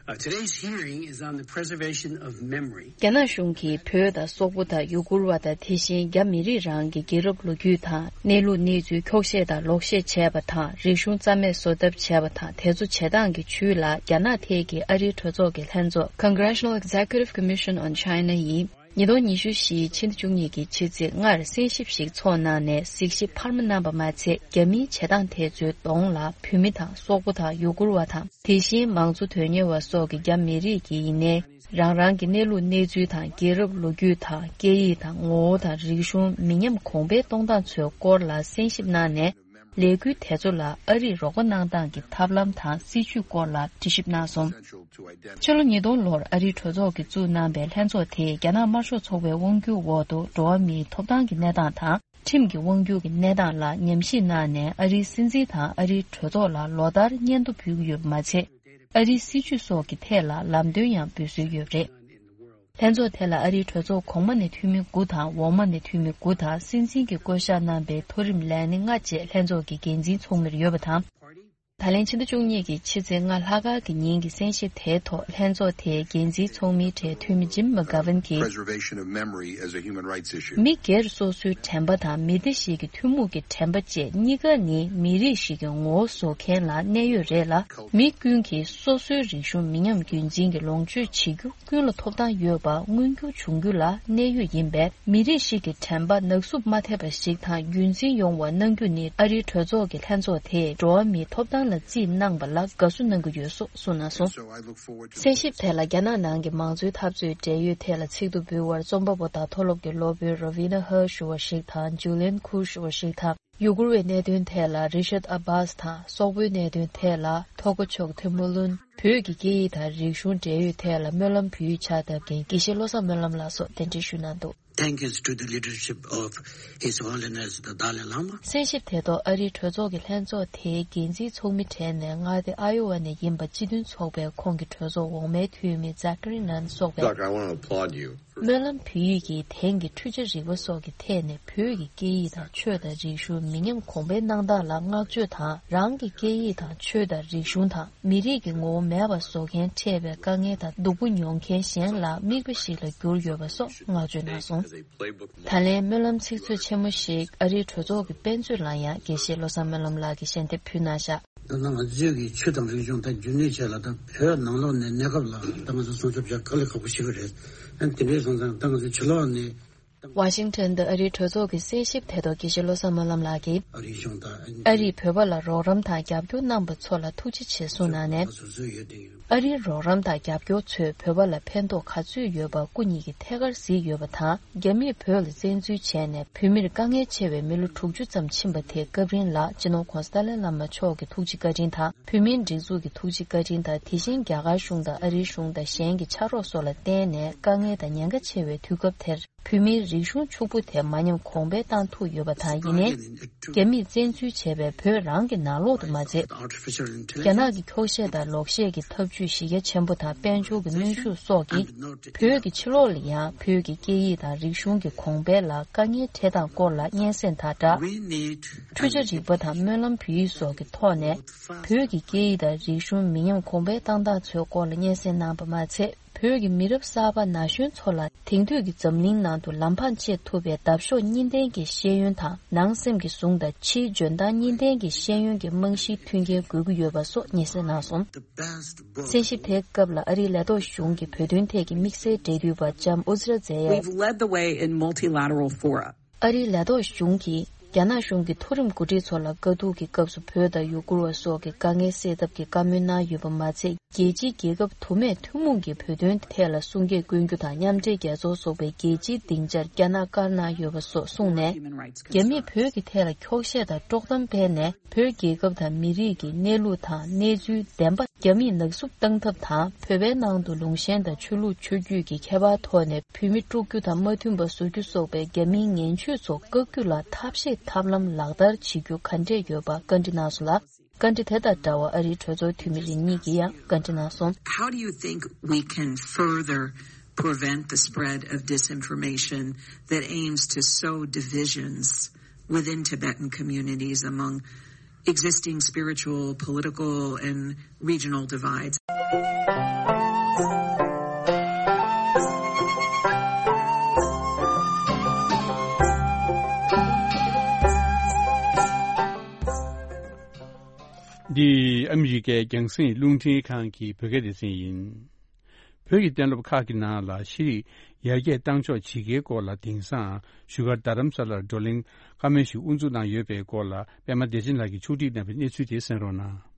Uh, today's hearing is on the preservation of memory. རྒྱ་ནག་གཞུང་གིས་བོད་དང་སོག་པོ་དང་ཡུ་གུར་བ་དང་། དེ་བཞིན་རྒྱ་མི་རིགས་རང་གི་རྒྱལ་རབས་ལོ་རྒྱུས་དང་གནས་ལུགས་གནས་ཚུལ་འཁྱོག་བཤད་དང་ལོག་བཤད་བྱས་པ་དང་། རིག་གཞུང་རྩ་མེད་བཟོ་ཐབས་བྱས་པ་དང་། དེ་ཚོ་བྱེད་སྟངས་ཀྱི་བྱུས་ལ་རྒྱ་ནག་ཐད་ཀྱི་ཨ་རིའི་གྲོས་ཚོགས་ཀྱི་ལྷན་ཚོགས་Congressional Executive Commission on China ཡིས་ཉིས་སྟོང་ཉི་ཤུ་བཞི་ཕྱི་ཟླ་བཅུ་གཉིས་ཀྱི་ཕྱི་ཚེས་ལྔར་གསན་ཞིབ་ཞིག་འཚོགས་གནང་ནས། གཟིགས་ཞིབ་འཕར་མ་གནང་པ་མ་ཚད། རྒྱ་མིའི་བྱེད་སྟངས་དེ་ཚོའི་གདོང་ལ་བོད་མི་དང་སོག་པོ་དང་ཡུ་གུར་བ་དང་། དེ་བཞིན་མང་གཙོ་དོན་གཉེར་བ་སོགས་ཀྱིས་རྒྱ་མི་རིགས་ཀྱི་ཡིན་ནའི་རང་རང་གི་གནས་ལུགས་གནས་ཚུལ་དང་། རྒྱལ་རབས་ལོ་རྒྱུས་དང་། སྐད་ཡིག་དང་། ངོ་བོ་དང་། རིག་གཞུང་མི་ཉམས་གོང་འཕེལ་གཏོང་སྟངས་ཚོའི་སྐོར་ལ་གསན་ཞིབ་གནང་ནས། ལས་འགུལ་དེ་ཚོ་ལ་ཨ་རིས་རོགས་པ་གནང་སྟངས་ཀྱི་ཐབས་ལམ་དང་སྲིད་བྱུས་སྐོར་ལ་དྲི་ཞིབ་གནང་སོང་། ཕྱི་ལོ་ཉིས་སྟོང་ལོར་ཨ་རིའི་གྲོས་ཚོགས་ཀྱིས་བཙུགས་གནང་པའི་ལྷན་ཚོགས་དེས་རྒྱ་ནག་དམར་ཤོག་ཚོགས་པའི་དབང་སྒྱུར་འོག་ཏུ་འགྲོ་བ་མིའི་ཐོབ་ཐང་གི་གནས་སྟངས་དང་། ཁྲིམས་ཀྱི་དབང་སྒྱུར་གྱི་གནས་སྟངས་ལ་ཉམས་ཞིབ་གནང་ནས། ཨ་རིའི་སྲིད་འཛིན་དང་ཨ་རིའི་གྲོས་ཚོགས་ལ་ལོ་ལྟར་སྙན་ཐོ་ཕུལ་གྱི་ཡོད་པ་མ་ཚད། ཨ་རིའི་སྲིད་བྱུས་སོགས་ཀྱི་ཐད་ལ་ལམ་སྟོན་ཡང་འབུལ་སྲོལ་ཡོད་པ་རེད། ལྷན་ཚོགས་དེ་ལ་ཨ་རིའི་གྲོས་ཚོགས་གོང་མ་ནས་འཐུས་མི་དགུ་དང་། འོག་མ་ནས་འཐུས་མི་དགུ་དང་། སྲིད་འཛིན་གྱིས་བསྐོ་གཞག་གནང་པའི་མཐོ་རིམ་ལས་སྣེ་ལྔ་བཅས་ལྷན་ཚོགས་ཀྱི་འགན་འཛིན་ཚོགས་མིར་ཡོད་པ་དང་། ད་ལན་ཕྱི་ཟླ་བཅུ་གཉིས་ཀྱི་ཕྱི་ཚེས་ལྔ་ལྷག་དཀར་གྱི་ཉིན་གྱི་གསན་ཞིབ་དེའི་ཐོག་ལྷན་ཚོགས་དེའི་འགན་འཛིན་ཚོགས་མིའི་གྲས་འཐུས་མི་ཇིམ་མག་གྷ་ཝན་གྱིས། Preservation of memory as a human rights issue. མི་སྒེར་སོ་སོའི་དྲན་པ་དང་། མི་སྡེ་ཞིག་གི་ཐུན་མོང་གི་དྲན་པ་བཅས་གཉིས་ཀ་ནི་མི་རིགས་ཤིག་གི་ངོ་བོ་བཟོ་མཁན་ལ་གནད་ཡོད་རེད་ལ། མི་ཀུན་གྱིས་སོ་སོའི་རིག་གཞུང་མི་ཉམས་རྒྱུན་འཛིན་གྱི་ལོངས་སྤྱོད་བྱེད་རྒྱུ་ཀུན་ལ་ཐོབ་ཐང་ཡོད་པ་མངོན་འགྱུར་འབྱུང་རྒྱུ་ལ་གནད་ཡོད་ཡིན་པས། མི་རིགས་ཤིག་གི་དྲན་པ་ནག་བསུབ་མ་ཐེབས་པ་ཞིག་དང་རྒྱུན་འཛིན་ཡོང་བ་གནང་རྒྱུ་ནི་ཨ་རིའི་གྲོས་ཚོགས་ཀྱི་ལྷན་ཚོགས་དེས་འགྲོ་བ་མིའི་ཐོབ་ཐང་ལ་རྩིས་གནང་པ་ལ་དགའ་བསུ་གནང་གི་ཡོད་སོགས་གསུངས་གནང་སོང་། གསན་ཞིབ་དེ་ལ་རྒྱ་ནག་ནང་གི་མང་གཙོའི་འཐབ་རྩོད་འབྲེལ་ཡོད་ཐད་ལ་ཚིག་ཐོ་འབུལ་བར་རྩོམ་པ་པོ་དང་མཐོ་སློབ་ཀྱི་སློབ་དཔོན་རོ་ཝི་ན་ཧར་ཞུ་བ་ཞིག་དང་། ཇུ་ལིན་ཁུར་ཞུ་བ་ཞིག་དང་། ཡུ་གུར་བའི་གནད་དོན་ཐད་ལ་རི་ཤད་ཨ་བྷཱས་དང་། སོག་པོའི་གནད་དོན་ཐད་ལ་ཐོ་ཀོ་ཆོག་ཐེ་མུ་ལུན། བོད་ཀྱི་སྐད་ཡིག་དང་རིག་གཞུང་འབྲེལ་ཡོད་ཐད་ལ་སྨོན་ལམ་ཕུལ་ཡིག་ཕྱག་བཏབ་མཁན་དགེ་བཤེས་བློ་བཟང་སྨོན་ལམ་ལགས་སོགས་གདན་འདྲེན་ཞུས་གནང་འདུག། Thank you to the leadership of His Holiness the Dalai Lama. གསན་ཞིབ་དེ་ཐོག་ཨ་རིའི་གྲོས་ཚོགས་ཀྱི་ལྷན་ཚོགས་དེའི་འགན་འཛིན་ཚོགས་མི་གྲས་ནས་མངའ་སྡེ་ཨ་ཡོ་ཝ་ནས་ཡིན་པ་སྤྱི་མཐུན་ཚོགས་པའི་ཁོངས་ཀྱི་གྲོས་ཚོགས་འོག་མའི་འཐུས་མི་ཛ་ཀ་རི་ནན་སོགས་པས། Doc, I want to applaud you. སྨོན་ལམ་ཕུལ་ཡིག་གིས་དེང་གི་འཕྲུལ་ཆ་རིག་པ་སོགས་ཀྱི་ཐད་ནས་བོད་ཀྱི་སྐད་ཡིག་དང་ཆོས་དང་རིག་གཞུང་མི་ཉམས་གོང་འཕེལ་གནང་སྟངས་ལ་བསྔགས་བརྗོད་དང་། རང་གི་སྐད་ཡིག་དང་ཆོས་དང་རིག་གཞུང་དང་མི་རིགས་ཀྱི་ངོ་བོ་མེད་པ་བཟོ་མཁན་འཕྲད་པའི་དཀའ་ངལ་དང་སྡུག་པོ་མྱོང་མཁན་གཞན་ལ་མིག་དཔེ་ཞིག་ལ་གྱུར་ཡོད་པ་སོགས་བསྔགས་བརྗོད་གནང་སོང་། ད་ལན་སྨོན་ལམ་ཚིག་མཛོད་ཆེན་མོ་ཞིག་ཨ་རིའི་གྲོས་ཚོགས་ཀྱི་དཔེ་མཛོད་ལ་ཡང་དགེ་བཤེས་བློ་བཟང་སྨོན་ལམ་ལགས་ཀྱིས་ཞལ་འདེབས་ཕུལ་གནང་བཞག། ད་ལྟ་ང་ཚོའི་གི་ཆོས་དང་རིག་གཞུང་ད་རྒྱུན་གནས་བྱས་ལ། ད་བོད་ནང་ལོགས་ནས་གནས་སྐབས་ལ་ད་ང་ཚོ་སྲུང་སྐྱོབ་བྱ་དཀའ་ལས་ཁག་པོ་ཞིག་རེད། ཨ་ནི་དེ་འདྲའི་སོང་ཙང་ད་ང་ཚོ་ཕྱི་ལོགས་ནས་ ཝ་ཤིང་ཊོན་དུ་ཨ་རིའི་གྲོས་ཚོགས་ཀྱི་གསན་ཞིབ་ཐད་གཏོགས་དགེ་བཤེས་བློ་བཟང་སྨོན་ལམ་ལགས་ཀྱིས། ཨ་རིས་བོད་པ་ལ་རོགས་རམ་དང་རྒྱབ་སྐྱོར་གནང་བ་ཚོ་ལ་ཐུགས་རྗེ་ཆེ་གསུངས་གནང་ནས། ཨ་རིའི་རོགས་རམ་དང་རྒྱབ་སྐྱོར་ཚོས་བོད་པ་ལ་ཕན་ཐོགས་ག་ཚོད་ཡོད་པ་སྐུ་ཉིད་ཀྱིས་ཐད་ཀར་གཟིགས་ཡོད་པ་དང་། རྒྱ་མིས་བོད་ལ་བཙན་འཛུལ་བྱས་ནས་བོད་མིར་དཀའ་ངལ་ཆེ་བའི་མི་ལོ་དྲུག་ཅུ་ཙམ་ཕྱིན་པ་དེ་སྐབས་རིང་ལ་སྤྱི་ནོར་༧གོང་ས་ཏཱ་ལའི་བླ་མ་མཆོག་གི་ཐུགས་རྗེ་བཀའ་དྲིན་དང་། བོད་མིའི་སྒྲིག་འཛུགས་ཀྱི་ཐུགས་རྗེ་བཀའ་དྲིན་དང་། དེ་བཞིན་རྒྱ་གར་གཞུང་དང་ཨ་རིའི་གཞུང་དང་གཞན་གྱི་ཕྱག་རོགས་སོགས་ལ་བརྟེན་ནས་དཀའ་ངལ་དང་ཉེན་ཁ་ཆེ་བའི་དུས་སྐབས་དེར། བོད་མིའི་རིག་གཞུང་ཕྱུག་པོ་དེ་མ་ཉམས་གོང་འཕེལ་བཏང་ཐུབ་ཡོད་པ་དང་། ཡིན་ནའི། རྒྱ་མིས་བཙན་འཛུལ་བྱས་པའི་བོད་རང་གི་ནང་ལོགས་དུ་མ་ཚད། རྒྱ་ནག་གི་འཁྱོག་བཤད་དང་ལོག་བཤད་ཀྱི་ཐབས་ཇུས་གཞི་རྒྱ་ཆེན་པོ་དང་། དཔལ་འབྱོར་གྱི་གནོན་ཤུགས་སོགས་ཀྱིས། བོད་ཀྱི་ཕྱི་ལོགས་ལ་ཡང་བོད་ཀྱི་སྐད་ཡིག་དང་རིག་གཞུང་གི་གོང་འཕེལ་ལ་དཀའ་ངལ་འཕྲད་སྟངས་སྐོར་ལ་སྙན་སེང་དང་སྦྲགས། འཕྲུལ་ཆ་རིག་པ་དང་སྨོན་ལམ་བོད་ཡིག་སོགས་ཀྱི་ཐོག་ནས། བོད་ཀྱི་སྐད་ཡིག་དང་རིག་གཞུང་མི་ཉམས་གོང་འཕེལ་བཏང་སྟངས་ཚོའི་སྐོར་ལ་སྙན་སེང་གནང་བ་མ་ཚད། བོད་ཀྱི་མི་རབས་གསར་པ་ན་གཞོན་ཚོ་ལ་དེང་དུས་ཀྱི་འཛམ་གླིང་ནང་དུ་ལམ་འཕང་བཅད་ཐུབ་པའི་འདབ་གཤོག་གཉིས་ལྡན་གྱི་ཤེས་ཡོན་དང་། ནང་སེམས་ཀྱི་ཟུང་དང་ཕྱིའི་འཇོན་ཐང་གཉིས་ལྡན་གྱི་ཤེས་ཡོན་གྱི་རྨང་གཞིའི་མཐུན་རྐྱེན་དགོས་ཀྱི་ཡོད་པ་སོགས་སྙན་སེང་གནང་སོང་། གསན་ཞིབ་དེའི་སྐབས་ལ་ཨ་རིའི་ལས་ཐོག་གཞུང་གི་བོད་དོན་ཐད་ཀྱི་དམིགས་བསལ་འབྲེལ་མཐུད་པ་ལྕམ་ཨུ་ཛི་ར་ཛེ་ཡས། We've led the way in multilateral fora. ཨ་རིའི་ལས་ཐོག་གཞུང་གིས་རྒྱ་ནག་གཞུང་གི་མཐོ་རིམ་འགོ་ཁྲིད་ཚོ་ལ་དཀའ་སྡུག་གི་སྐབས་སུ་བོད་དང་ཡུ་གུར་བ་སོགས་ཀྱི་དཀའ་ངལ་སེལ་ཐབས་ཀྱི་བཀའ་མོལ་གནང་ཡོད་པ་མ་ཚད། རྒྱལ་སྤྱིའི་རྒྱལ་ཁབ་དུ་མས་ཐུན་མོང་གི་བོད་དོན་ཐད་ལ་གསུང་སྐད་བསྐྱོན་རྒྱུ་དང་། མཉམ་འབྲེལ་རྒྱལ་ཚོགས་སོགས་པའི་རྒྱལ་སྤྱིའི་སྡིངས་ཆར་བསྐྱར་གནང་ཡོད་པ་སོགས་གསུངས་ནས། རྒྱ་མིས་བོད་ཀྱི་ཐད་ལ་འཁྱོག་བཤད་དང་དཀྲོག་གཏམ་སྤེལ་ནས། བོད་རྒྱལ་ཁབ་དང་མི་རིགས་ཀྱི་གནས་ལུགས་དང་གནས་ཚུལ་བདེན་པ། རྒྱ་མིས་ནག་བསུབ་བཏང་ཐབས་དང་། བོད་པའི་ནང་དུ་ལུང་ཆེན་དང་ཆོས་ལུགས་ཆོས་བརྒྱུད་ཀྱི་ཁྱད་པར་ཐོག་ནས་བོད་མི་དཀྲུག་རྒྱུ་དང་མ་མཐུན་པ་བཟོ་རྒྱུ་སོགས་པའི་རྒྱ་མིའི་ངན་བྱུས་ཚོ་བཀག་རྒྱུ་ལ་ཐབས་ཤེས་ཐབས་ལམ་ལག་བསྟར་བྱེད་རྒྱུ་ག་འདྲས་ཡོད་པ་བཀའ་འདྲི་གནང་སོང་ལ། བཀའ་འདྲི་དེ་དང་འདྲ་བར་ཨ་རིའི་གྲོས་ཚོགས་འཐུས་མི་རེ་གཉིས་ཀྱིས་ཡང་བཀའ་འདྲི་གནང་སོང་། How do you think we can further prevent the spread of disinformation that aims to sow divisions within Tibetan communities among existing spiritual, political, and regional divides? འདི་ཨ་མི་རི་ཀའི་རྒྱང་སྲིང་རླུང་འཕྲིན་ཁང་གི་བོད་སྐད་སྡེ་ཚན་ཡིན། བོད་ཀྱི་གཏན་སློབ་ཁག་གི་ནང་ལ་ཤེས་རིག་ཡར་རྒྱས་གཏང་ཕྱོགས་ཇི་དགེའི་སྐོར་ལ་དེང་སང་བཞུགས་སྒར་རྡ་རམ་ས་ལར་བགྲོ་གླེང་བཀའ་མོལ་ཞིག་དབུ་འཛུགས་གནང་ཡོད་པའི་སྐོར་ལ་པད་མ་བདེ་ཆེན་ལགས་ཀྱིས་ཕྱོགས་སྒྲིག་གནང་བའི་གནས་ཚུལ་དེ་གསན་རོགས་གནང་།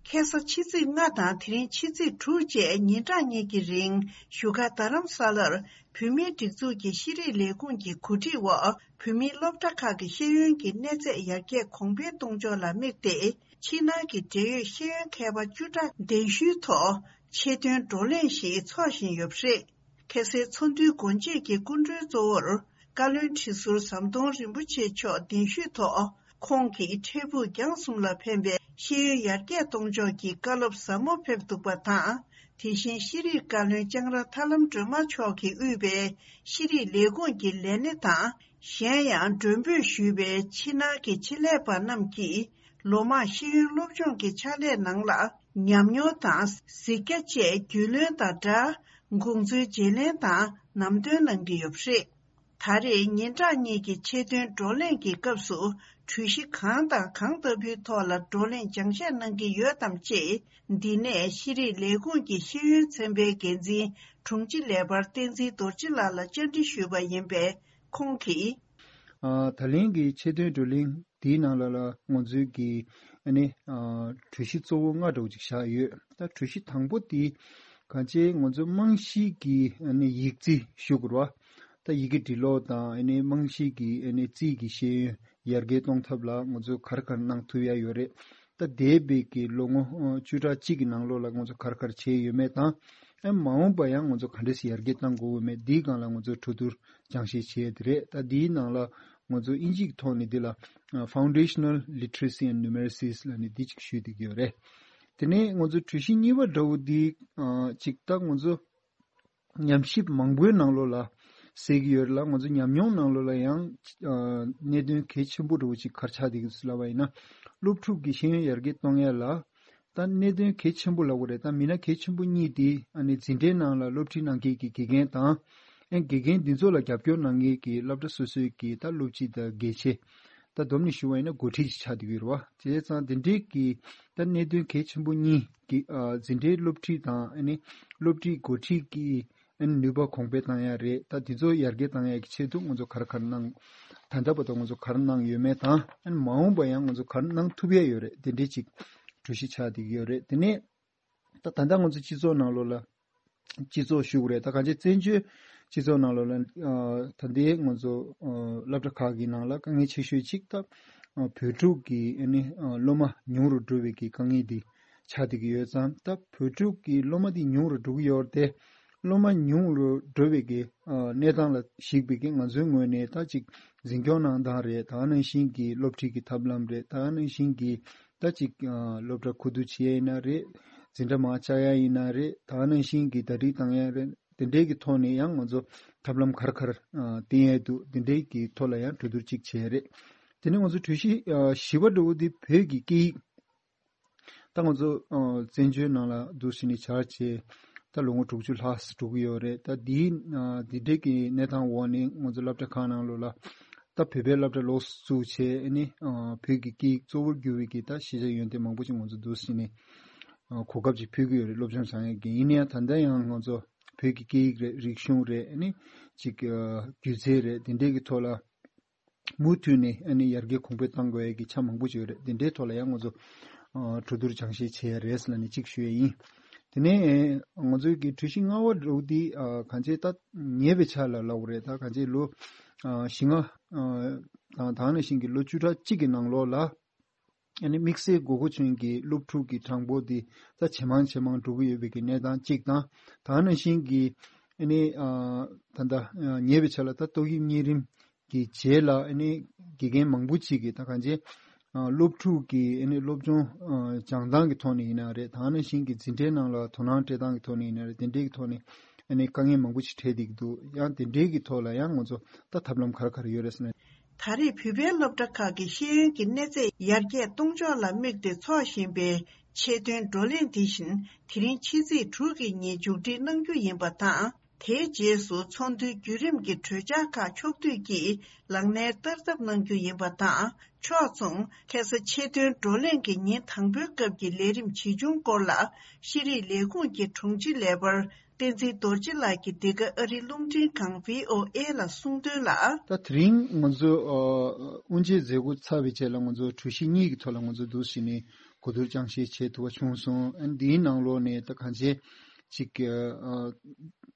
ཁ་སང་ཕྱི་ཚེས་ལྔ་དང་དེ་རིང་ཕྱི་ཚེས་དྲུག་བཅས་ཉིན་གྲངས་གཉིས་ཀྱི་རིང་བཞུགས་སྒར་རྡ་རམ་ས་ལར་བོད་མིའི་སྒྲིག་འཛུགས་ཀྱི་ཤེས་རིག་ལས་ཁུངས་ཀྱི་གོ་སྒྲིག་འོག་བོད་མིའི་སློབ་གྲྭ་ཁག་གི་ཤེས་ཡོན་གྱི་གནས་ཚད་ཡར་རྒྱས་གོང་འཕེལ་གཏོང་ཕྱོགས་ལ་དམིགས་ཏེ། ཕྱི་ནང་གི་འབྲེལ་ཡོད་ཤེས་ཡོན་མཁས་པ་བཅུ་ཕྲག་གདན་ཞུའི་ཐོག་ཆེད་དོན་བགྲོ་གླེང་ཞིག་འཚོགས་བཞིན་ཡོད་པ་རེད། ཁ་སང་ཚོགས་འདུའི་སྒོ་འབྱེད་ཀྱི་སྐུ་མགྲོན་གཙོ་བོར་བཀའ་བློན་ཁྲི་ཟུར་ཟམ་གདོང་རིན་པོ་ཆེ་མཆོག་གདན་ཞུས་ཐོག་ཁོང་གིས་འཕྲལ་ཕུགས་རྒྱང་གསུམ་ལ་ཕན་པའི་ཤེས་ཡོན་ཡར་རྒྱས་གཏོང་ཕྱོགས་ཀྱི་བཀའ་སློབ་ཟབ་མོ་ཕེབས་འདུག་པ་དང་། དེ་བཞིན་ཤེས་རིག་བཀའ་བློན་ལྕང་ར་ཐར་ལམ་སྒྲོལ་མ་མཆོག་གིས་དབུས་པའི་ཤེས་རིག་ལས་ཁུངས་ཀྱི་ལས་སྣེ་དང་། གཞན་ཡང་མགྲོན་འབོད་ཞུས་པའི་ཕྱི་ནང་གི་ཆེད་ལས་པ་རྣམས་ཀྱིས་ལོ་མང་ཤེས་ཡོན་སློབ་སྦྱོང་གི་ཕྱག་ལས་ནང་ལ་ཉམས་མྱོང་དང་གཟིགས་རྒྱ་བཅས་རྒྱུས་ལོན་དང་སྦྲགས། དགོངས་ཚུལ་བརྗེ་ལེན་དང་ལམ་སྟོན་གནང་གི་ཡོད་པ་རེད། ད་རེས་ཉིན་གྲངས་གཉིས་ཀྱི་ཆེད་དོན་བགྲོ་གླེང་གི་སྐབས་སུ་གྲོས་གཞི་གང་དང་གང་ལྟ་བུའི་ཐོག་ལ་བགྲོ་གླེང་སྦྱང་བཤད་གནང་གི་ཡོད་དམ་ཅེས། འདི་ནས་ཤེས་རིག་ལས་ཁུངས་ཀྱི་ཤེས་ཡོན་ཚན་པའི་འགན་འཛིན་དྲུང་ཆེ་ལས་འཕར་བསྟན་འཛིན་རྡོ་རྗེ་ལགས་ལ་བཅར་འདྲི་ཞུས་པ་ཡིན་པས། ཁོང་གིས། ཨ། ད་ལན་གྱི་ཆེད་དོན་བགྲོ་གླེང་འདིའི་ནང་ལ་ལ་ང་ཚོའི་གི་ཨ་ནི་ཨ་གྲོས་གཞི་གཙོ་བོ་ལྔ་འདྲ་བོ་ཅིག་བཞག་ཡོད། ད་གྲོས་གཞི་དང་པོ་དེ་གང་ཅི་ང་ཚོ་རྨང་གཞི་གི་ཨ་ནི་ཡིག་རྩིས་ཞུ་དགོས་རེད་བ། ད་ཡི་གེ་འབྲི་ཀློག་དང་ཨ་ནི་རྨང་གཞི་གི་ཨ་ནི་རྩིས་ཀྱི་ཤེས་ཡོན་ཡར་རྒྱས་གཏོང་ཐབས་ལ་ང་ཚོ་ག་རེ་ག་རེ་གནང་ཐུབ་ཡ་ཡོད་རེད། ད་འདས་པའི་གི་ལོ་ངོ་ཨ་བཅུ་ཕྲག་གཅིག་གི་ནང་ལོགས་ལ་ང་ཚོ་ག་རེ་ག་རེ་བྱས་ཡོད་མེད་དང་། ཨ་མ་འོངས་པ་ཡང་ང་ཚོ་ག་འདྲས་སེ་ཡར་རྒྱས་གཏང་དགོས་ཡོད་མེད་འདིའི་སྒང་ལ་ང་ཚོ་གྲོས་བསྡུར་སྦྱང་བཤད་བྱས་དེ་རེད། ད་འདིའི་ནང་ལ་ང་ཚོ་དབྱིན་ཇིའི་ཐོག་ནས་འདི་ལ་Foundational Literacy and Numeracy ལབ་ནས་འདི་གཅིག་ཞུས་བསྡད་ཀྱི་ཡོད་རེད། དེ་ནས་ང་ཚོ་གྲོས་གཞི་གཉིས་པ་འདྲ་བོ་འདི་ཨ་གཅིག་ད་ང་ཚོ་ཉམས་ཞིབ་མང་པོའི་ནང་ལོགས་ལ་གསལ་གྱི་ཡོད་རེད་ལ། ང་ཚོ་ཉམས་མྱོང་ནང་ལོགས་ལ་ཡང་ཨ་གནད་དོན་གལ་ཆེན་པོ་འདྲ་བོ་ཅིག་ག་རེ་ཆགས་བསྡད་ཀྱི་འདུག་ཟེར་ལབ་པ་ཡིན་ན། སློབ་ཕྲུག་གི་ཤེས་ཡོན་ཡར་རྒྱས་གཏོང་ཡ་ལ། ད་གནད་དོན་གལ་ཆེན་པོ་ལབ་དགོས་རེད། ད་མི་སྣ་གལ་ཆེན་པོ་གཉིས་དེ་ཨ་ནི་འཛིན་གྲྭའི་ནང་ལ་སློབ་ཁྲིད་གནང་མཁན་གྱི་དགེ་རྒན་དང་། ཨ་དགེ་རྒན་འདི་ཚོ་ལ་རྒྱབ་སྐྱོར་གནང་མཁན་གྱི་སློབ་གྲྭ་སོ་སོའི་གི་ད་སློབ་སྤྱི་དང་དགེ་ཆེ། ད་བསྡོམས་ནས་ཞུ་བ་ཡིན་ན་འགོ་ཁྲིད་ཅིག་ཆགས་བསྡད་ཀྱི་ཡོད་རེད་བ། བྱས་ཙང་དེ་འདྲའི་གི་ད་གནད་དོན་གལ་ཆེན་པོ་གཉིས་ཀྱི་ཨ་འཛིན་གྲྭའི་སློབ་ཁྲིད་དང་ཨ་ནི་སློབ་ཁྲིད་འགོ་ཁྲིད་ཀྱི་ ཨ་ནི་ནུས་པ་གོང་འཕེལ་བཏང་ཡ་རེད། ད་དེ་ཚོ་ཡར་རྒྱས་བཏང་ཡ་གི་ཆེད་དུ་ང་ཚོ་ག་རེ་ག་རེ་གནང་། ད་ལྟ་བར་དུ་ང་ཚོ་ག་རེ་གནང་ཡོད་མེད་དང་། ཨ་ནི་མ་འོངས་པ་ཡང་ང་ཚོ་ག་རེ་གནང་ཐུབ་ཡ་ཡོད་རེད། དེ་འདྲའི་ཅིག་གྲོས་གཞི་ཆགས་བསྡད་ཀྱི་ཡོད་རེད། དེ་ནས་ད་ད་ལྟ་ང་ཚོ་སྤྱི་ཚོགས་ནང་ལོགས་ལ་སྤྱི་ཚོགས་ཞུ་དགོས་རེད། ད་གང་ཅི་བཙན་བྱོལ་སྤྱི་ཚོགས་ནང་ལོགས་ལ་ཨ་ད་ལྟའི་ང་ཚོ་ཨ་སློབ་གྲྭ་ཁག་གི་ནང་ལ་དཀའ་ངལ་ཆེ་ཤོས་གཅིག་ད་ཨ་བོད་ཕྲུག་གི་ཨ་ནི་ཨ་སློབ་མ་ཉུང་རུ་འགྲོ་བའི་གི་དཀའ་ངལ་འདི་ཆགས་བསྡད་ཀྱི་ཡོད་ཙང་། ད་བོད་ཕྲུག་གི་སློབ་མ་འདི་ཉུང་རུ་འགྲོ་གི་ཡོད་རེད་དེ། སློབ་མ་ཉུང་རུ་འགྲོ་བའི་གི་ཨ་གནས་སྟངས་ལ་གཞིགས་པའི་གི་ང་ཚོའི་ངོས་ནས་ད་ཅིག་འཛིན་སྐྱོང་གནང་སྟངས་རེད། ད་ག་ནང་བཞིན་གྱི་སློབ་ཁྲིད་ཀྱི་ཐབས་ལམ་རེད། ད་ག་ནང་བཞིན་གྱི་ད་ཅིག་ཨ་སློབ་གྲྭ་ཁུ་བསྡུ་བྱེད་ཡ་ཡིན་ན་རེད། འཛིན་གྲྭ་མར་བཅག་ཡ་ཡིན་ན་རེད། ད་ག་ནང་བཞིན་གྱི་ཟླ་སྒྲིལ་བཏང་ཡ་རེད། དེ་འདྲའི་གི་ཐོག་ནས་ཡང་ང་ཚོ་ཐབས་ལམ་ག་རེ་ག་རེ་ཨ་བསྟེན་ཡ་འདུག་དེ་འདྲའི་གི་ཐོག་ལ་ཡང་གྲོས་བསྡུར་ཅིག་བྱས་རེད། དེ་ནས་ང་ཚོ་གྲོས་གཞི་ཨ་བཞི་པ་འདྲ་བོ་དེ་བོད་ཀྱི་སྐད་ཡིག་ད་ང་ཚོ་ཨ་བཙན་བྱོལ་ནང་ལ་འདུག་སེ་ནས་བཅར་བྱས་ད་ལོ་ངོ་དྲུག་ཅུ་ལྷག་འགྲོ་གི་ཡོད་རེད། ད་འདིའི་ཨ་འདི་འདྲའི་གི་གནས་སྟངས་འོག་ནས་ང་ཚོ་སློབ་གྲྭ་ཁག་ནང་ལོགས་ལ་ད་བོད་པའི་སློབ་གྲྭ་ལོགས་སུ་བཙུགས་བྱས། ཨ་ནི་ཨ་བོད་ཀྱི་སྐད་ཡིག་གཙོ་བོར་གྱུར་བའི་གི་ད་ཤེས་བྱ་ཡོན་ཏན་མང་པོ་ཞིག་ང་ཚོ་འདུག་སེ་ནས་ཨ་གོ་སྐབས་ཅིག་ཕུལ་གྱི་ཡོད་རེད། སློབ་སྦྱོང་བྱ་ཡག་གི། ཡིན་ན་ཡང་ད་ལྟ་ཡང་ང་ཚོ་བོད་ཀྱི་སྐད་ཡིག་རེད། རིག་གཞུང་རེད། ཨ་ནི་ཅིག་ཨ་སྒྱུ་རྩལ་རེད། དེ་འདྲའི་གི་ཐོག་ལ་མུ་མཐུད་ནས་ཨ་ནི་ཡར་རྒྱས་གོང་འཕེལ་གཏང་དགོས་ཡ་གི་ཆ་མང་པོ་ཅིག་ཡོད་རེད། དེ་འདྲའི་ཐོག་ལ་ཡང་ང་ཚོ་ཨ་གྲོས་བསྡུར་སྦྱང་བཤད་བྱེད་ཡ་རེད་ཟེར་ལབ་ནས་གཅིག་ཞུ་ཡ་ཡིན། དེ་ནས་ང་ཚོའི་གི་གྲོས་གཞི་ལྔ་པ་འདྲ་བོ་འདི་ཨ་གང་ཅི་ད་ཉེ་བའི་ཆར་ལ་ལབ་དགོས་རེད། ད་གང་ཅི་ལོ་ཨ་བཞི་ལྔ་ཨ་དང་ད་ག་ནང་བཞིན་གྱི་ལོ་བཅུ་ཕྲག་གཅིག་གི་ནང་ལོགས་ལ་ཨ་ནི་དམིགས་བསལ་དགོས་མཁོ་ཅན་གྱི་སློབ་ཕྲུག་གི་གྲངས་འབོར་འདི་ད་ཇེ་མང་ཇེ་མང་འགྲོ་གི་ཡོད་པའི་གི་གནས་སྟངས་གཅིག་དང་། ད་ག་ནང་བཞིན་གྱི་ཨ་ནི་ཨ་ད་ལྟ་ཨ་ཉེ་བའི་ཆར་ལ་ད་ཏོག་དབྱིབས་གཉན་རིམས་ཀྱི་རྗེས་ལ་ཨ་ནི་དགེ་རྒན་མང་པོ་ཅིག་གིས་ད་གང་ཅི་ཨ་སློབ་ཕྲུག་གི་ཨ་ནི་སློབ་སྦྱོང་ཨ་སྦྱང་སྟངས་ཀྱི་ཐོག་ནས་ཡིན་ན་རེད། ད་ག་ནང་བཞིན་གྱི་འཛིན་གྲྭའི་ནང་ལ་དོ་སྣང་སྤྲད་སྟངས་ཀྱི་ཐོག་ནས་ཡིན་ན་རེད། དེ་འདྲའི་གི་ཐོག་ནས་ཨ་ནི་དཀའ་ངལ་མང་པོ་ཞིག་འཕྲད་བསྡད་ཀྱི་འདུག་ཡང་དེ་འདྲའི་གི་ཐོག་ལ་ཡང་ང་ཚོ་ད་ཐབས་ལམ་ག་རེ་ག་རེ་ཡོད་རེད་ཟེར་ན། ད་རེས་བོད་པའི་སློབ་གྲྭ་ཁག་གི་ཤེས་ཡོན་གྱི་གནས་ཚད་ཡར་རྒྱས་གཏོང་ཕྱོགས་ལ་དམིགས་ཏེ་འཚོགས་བཞིན་པའི་ཆེད་དོན་བགྲོ་གླེང་འདི་བཞིན་དེ་རིང་ཕྱི་ཚེས་དྲུག་གི་ཉིན་མཇུག་སྒྲིལ་གནང་རྒྱུ་ཡིན་པ་དང་། དེའི་རྗེས་སུ་ཚོགས་འདུའི་བརྒྱུད་རིམ་གྱི་གྲོས་འཆར་ཁག་ཕྱོགས་བསྡུས་ཀྱིས་ལག་ལེན་བསྟར་ཐབས་གནང་རྒྱུ་ཡིན་པ་དང་། ཕྱོགས་མཚུངས་ཁ་སང་ཆེད་དོན་བགྲོ་གླེང་གི་ཉིན་དང་པོའི་སྐབས་ཀྱི་ལས་རིམ་ཇི་བྱུང་སྐོར་ལ་ཤེས་རིག་ལས་ཁུངས་ཀྱི་དྲུང་ཆེ་ལས་འཕར་བསྟན་འཛིན་རྡོ་རྗེ་ལགས་ཀྱིས་འདི་ག་ཨ་རིའི་རླུང་འཕྲིན་ཁང་བྷི་ཨོ་ཨེ་ལ་གསུངས་དོན་ལ། ད་དེ་རིང་ང་ཚོ་ཨ་དབུ་འབྱེད་མཛད་སྒོ་ཚར་བའི་རྗེས་ལ་ང་ཚོ་གྲོས་གཞི་གཉིས་ཀྱི་ཐོག་ལ་ང་ཚོ་འདུག་སེ་ནས་གོ་བསྡུར་སྦྱང་བཤད་བྱེད་ཐུབ་པ་བྱུང་སོང་། ཨ་ནི་འདིའི་ནང་ལོགས་ནས་ད་གང་ཅི་ཅིག་ཨ་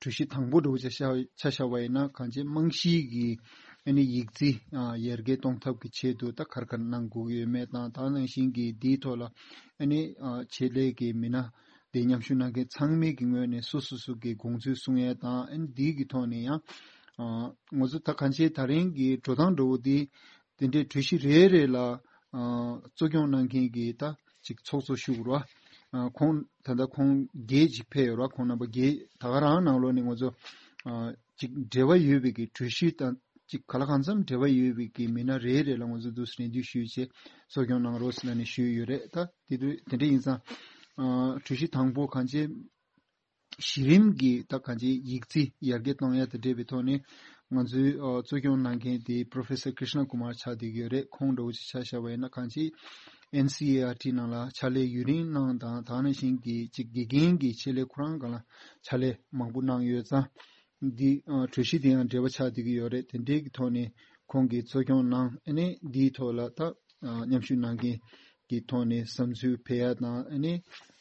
གྲོས་གཞི་དང་པོ་འདྲ་བོ་ཆ་བཞག་ཆ་བཞག་པ་ཡིན་ན། གང་ཅི་རྨང་གཞིའི་གི་ཨ་ནི་ཡིག་རྩིས་ཨ་ཡར་རྒྱས་གཏོང་ཐབས་ཀྱི་ཆེད་དུ་ད་ག་རེ་ག་རེ་གནང་དགོས་ཀྱི་ཡོད་མེད་དང་། ད་ག་ནང་བཞིན་གྱི་འདིའི་ཐོག་ལ་ཨ་ནི་ཨ་ཆེད་ལས་ཀྱི་མི་སྣ་དེ་མཉམ་ཞུགས་གནང་མཁན་ཚང་མའི་གི་ངོས་ནས་སོ་སོ་སོ་གི་དགོངས་ཚུལ་གསུང་ཡས་དང་། ཨ་ནི་འདིའི་གི་ཐོག་ནས་ཡང་ཨ་ང་ཚོ་ད་གང་ཅི་ད་རིང་གི་འགྲོ་སྟངས་འདྲ་བོ་འདི་དེ་འདྲའི་གྲོས་གཞི་རེ་རེ་ལ་ཨ་གཙོ་སྐྱོང་གནང་མཁན་གྱི་ད་ཅིག་ཚོགས་གཙོ་ཞུ་དགོས་ར། ཨ་ཁོང་ད་ལྟ་ཁོང་བརྒྱད་ཅིག་ཕེབས་ཡོད་ར། ཁོང་རྣམ་པ་བརྒྱད་ད་ག་རང་ནང་ལོགས་ནས་ང་ཚོ་ཨ་ཅིག་འབྲེལ་བ་ཡོད་པའི་གི་གྲོས་གཞི་དང་ཅིག་ག་ལ་གང་འཚམ་འབྲེལ་བ་ཡོད་པའི་གི་མི་སྣ་རེ་རེ་ལ་ང་ཚོ་འདུག་སེ་རེ་འདུན་ཞུས་བྱས་གཙོ་སྐྱོང་གནང་རོགས་ཟེར་ནས་ཞུས་ཡོད་རེད། ད་དེ་དུས་དེ་འདྲ་ཡིན་ཙང་ཨ་གྲོས་གཞི་དང་པོ་གང་ཅི་གཞི་རིམ་གྱི་ད་གང་ཅི་ཡིག་རྩིས་ཡར་རྒྱས་གཏོང་ཡ་དང་འབྲེལ་བའི་ཐོག་ནས་ང་ཚོའི་ཨ་གཙོ་སྐྱོང་གནང་མཁན་དེ་Professor Krishna Kumar ཆགས་བསྡད་ཀྱི་ཡོད་རེད། ཁོང་འདྲ་བོ་ཅིག་ཆ་བཞག་པ་ཡིན་ན་གང་ཅི་ཨེན་སི་ཨེ་ཨར་ཊི་ནང་ལ་ཕྱག་ལས་ཡུན་རིང་གནང་དང་། ད་ག་ནང་བཞིན་གྱི་ཅིག་དགེ་རྒན་གྱི་ཆེད་ལས་ཁོ་རང་སྒང་ལ་ཕྱག་ལས་མང་པོ་གནང་ཡོད་ཙང་། འདི་ཨ་གྲོས་གཞི་དེ་ཡང་འབྲེལ་བ་ཆགས་བསྡད་ཀྱི་ཡོད་རེད། དེ་འབྲེལ་གྱི་ཐོག་ནས་ཁོང་གིས་གཙོ་སྐྱོང་གནང་། ཨ་ནི་འདིའི་ཐོག་ལ་ད་ཨ་མཉམ་ཞུགས་གནང་མཁན་གྱི་ཐོག་ནས་བསམ་ཚུལ་འཕེལ་ཡ་དང་། ཨ་ནི་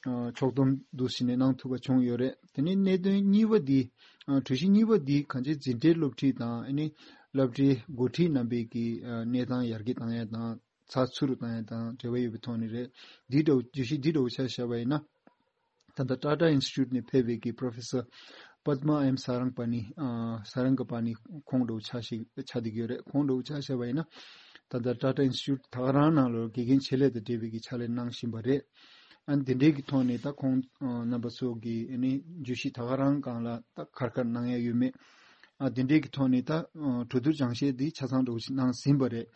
ཨ་ཕྱོགས་བསྡོམས་འདུག་སེ་ནས་གནང་ཐུབ་པ་བྱུང་ཡོད་རེད། དེ་ནས་གནད་དོན་གཉིས་པ་འདི་ཨ་གྲོས་གཞི་གཉིས་པ་འདི་གང་ཅི་འཛིན་གྲྭའི་སློབ་ཁྲིད་དང་། ཨ་ནི་སློབ་གྲྭའི་འགོ་ཁྲིད་རྣམ་པའི་གི་ཨ་གནས་སྟངས་ཡར་རྒྱས་བཏང་ཡ་དང་། ཚགས་ཚུད་རུ་བཏང་ཡ་དང་འབྲེལ་བ་ཡོད་པའི་ཐོག་ནས་རེད། འདི་འདྲ་བོ་བརྗོད་གཞི་འདི་འདྲ་བོ་ཆ་བཞག་པ་ཡིན་ན། ད་ལྟ་Tata Institute ནས་ཕེབས་པའི་གི་Professor Padma M Sarangapani ཨ་Sarangapani ཁོང་འདྲ་བོ་ཆ་ཞིག་ཆགས་བསྡད་ཀྱི་ཡོད་རེད། ཁོང་འདྲ་བོ་ཆ་བཞག་པ་ཡིན་ན། ད་ལྟ་Tata Institute ད་ག་རང་ནང་ལོགས་དགེ་རྒན་ཆེད་ལས་དང་འབྲེལ་བའི་གི་ཕྱག་ལས་གནང་བཞིན་པ་རེད། ཨ་ནི་དེ་འདྲའི་གི་ཐོག་ནས་ད་ཁོང་ཨ་རྣམ་པ་ཚོ་གི་ཨ་ནི་བརྗོད་གཞི་ད་ག་རང་སྒང་ལ་ད་ག་རེ་ག་རེ་གནང་ཡ་ཡོད་མེད། ཨ་དེ་འདྲའི་གི་ཐོག་ནས་ད་ཨ་གྲོས་བསྡུར་སྦྱང་བཤད་འདི་ཆ་ཚང་འདྲ་བོ་ཞིག་གནང་ཟིན་པ་རེད།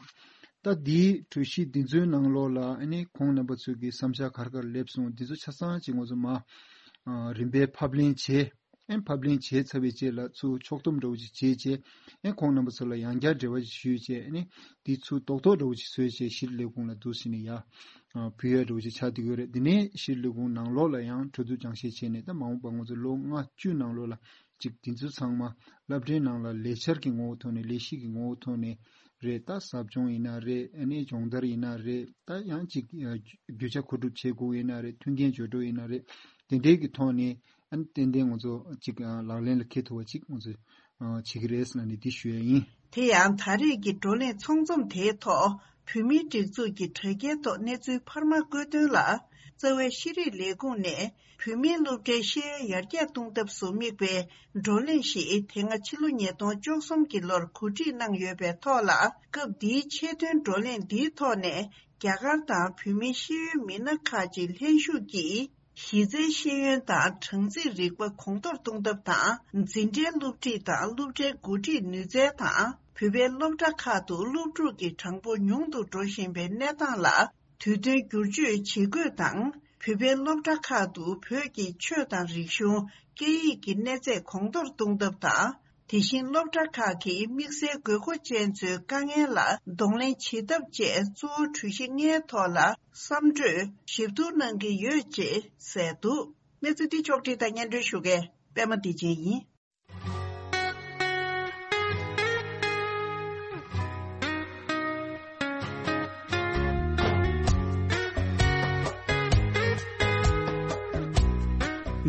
ད་འདིའི་གྲོས་གཞི་འདི་ཚོའི་ནང་ལོགས་ལ་ཨ་ནི་ཁོང་རྣམ་པ་ཚོས་ཀྱི་བསམ་འཆར་ག་རེ་ག་རེ་སླེབས་སོང་། འདི་ཚོ་ཆ་ཚང་ཅིག་ང་ཚོ་མ་ཨ་རིམ་པས་ཕབ་ལེན་བྱས། ཨ་ཕབ་ལེན་བྱས་ཚར་བའི་རྗེས་ལ་ཚུར་ཕྱོགས་བསྡོམས་འདྲ་བོ་ཅིག་བྱས་བྱས། ཨ་ཁོང་རྣམ་པ་ཚོ་ལ་ཡང་བསྐྱར་འབྲེལ་བ་ཞིག་ཞུས་བྱས། ཨ་ནི་འདི་ཚུར་རྡོག་རྡོག་འདྲ་བོ་ཅིག་བཟོས་བྱས་ཤེས་རིག་ལས་ཁུངས་ལ་འདུག་སེ་ནས་ཡར་ཨ་ཕུལ་ཡ་འདྲ་བོ་ཅིག་ཆགས་བསྡད་ཡོད་རེད། འདི་ནས་ཤེས་རིག་ལས་ཁུངས་ནང་ལོགས་ལ་ཡང་གྲོས་བསྡུར་སྦྱང་བཤད་བྱས་ནས། ད་མ་འོངས་པ་ང་ཚོ་ལོ་ལྔ་བཅུ་ནང་ལོགས་ལ་ ཅིག་དེ་ཚོ་ཚང་མ་སློབ་གྲྭའི་ནང་ལ་ལས་འཆར་གྱི་ངོ་བོ་ཐོག་ནས་ལས་གཞི་གི་ངོ་བོ་ཐོག་ནས་རེད། ད་ཟབ་སྦྱོང་ཡིན་ན་རེད། ཨ་ནི་སྦྱོང་བརྡར་ཡིན་ན་རེད། ད་ཡང་ཅིག་ཨ་རྒྱུ་ཆ་མཁོ་སྒྲུབ་བྱེད་དགོས་ཡིན་ན་རེད། མཐུན་རྐྱེན་སྦྱོར་སྒྲོག་ཡིན་ན་རེད། དེ་འདྲའི་གི་ཐོག་ནས་ཨ་ནི་ཏན་ཏན་ང་ཚོ་ཅིག་ཨ་ལག་ལེན་ལ་འཁེལ་ཐུབ་པ་ཅིག་ང་ཚོ་ཨ་བྱེད་ཀྱི་རེད་ཟེར་ནས་འདི་ཞུ་ཡ་ཡིན། དེ་ཡང་ད་རེས་ཀྱི་བགྲོ་གླེང་ཚོགས་འཛོམས་དེའི་ཐོག་བོད་མིའི་སྒྲིག་འཛུགས་ཀྱི་དྲ་རྒྱའི་ཐོག་གནས་ཚུལ་འཕར་མ་བཀོད་དོན་ལ། རྩ་བའི་ཤེས་རིག་ལས་ཁུངས་ནས་བོད་མིའི་སློབ་གྲྭའི་ཤེས་ཡོན་ཡར་རྒྱས་གཏོང་ཐབས་སུ་དམིགས་པའི་བགྲོ་གླེང་ཞིག་དེ་སྔ་ཕྱི་ལོ་ཉིས་སྟོང་བཅུ་གསུམ་གྱི་ལོར་གོ་སྒྲིག་གནང་ཡོད་པའི་ཐོག་ལ། སྐབས་འདིའི་ཆེད་དོན་བགྲོ་གླེང་འདིའི་ཐོག་ནས་རྒྱ་གར་དང་བོད་མིའི་ཤེས་ཡོན་མི་སྣ་ཁག་ཅིག་ལྷན་ཞུགས་ཀྱིས། གཞི་རྩའི་ཤེས་ཡོན་དང་གྲངས་རྩིས་རིག་པ་གོང་མཐོར་གཏོང་ཐབས་དང་། འཛིན་གྲྭའི་སློབ་ཁྲིད་དང་སློབ་གྲྭའི་འགོ་ཁྲིད་ནུས་རྩལ་དང་། བོད་པའི་སློབ་གྲྭ་ཁག་ཏུ་སློབ་ཕྲུག་གི་གྲངས་འབོར་ཉུང་དུ་འགྲོ་བཞིན་པའི་གནས་སྟངས་ལ་དུས་མཐུན་བསྒྱུར་བཅོས་བྱེད་དགོས་དང་། བོད་པའི་སློབ་གྲྭ་ཁག་ཏུ་བོད་ཀྱི་ཆོས་དང་རིག་གཞུང་། སྐད་ཡིག་གི་གནས་ཚད་གོང་མཐོར་གཏོང་ཐབས་དང་། དེ་བཞིན་སློབ་གྲྭ་ཁག་གིས་དམིགས་བསལ་དགོས་མཁོ་ཅན་ཚོའི་དཀའ་ངལ་ལ་གདོང་ལེན་བྱེད་ཐབས་བཅས་གཙོ་བོ་གྲོས་གཞི་ལྔའི་ཐོག་ལ་བསམ་གྲོས་ཞིབ་བསྡུར་གནང་གི་ཡོད་ཅེས་གསལ་འདུག་གནས་ཚུལ་འདི་ཕྱོགས་བསྒྲིགས་དང་སྙན་སྒྲོན་ཞུ་མཁན་པད་མ་བདེ་ཆེན་ཡིན།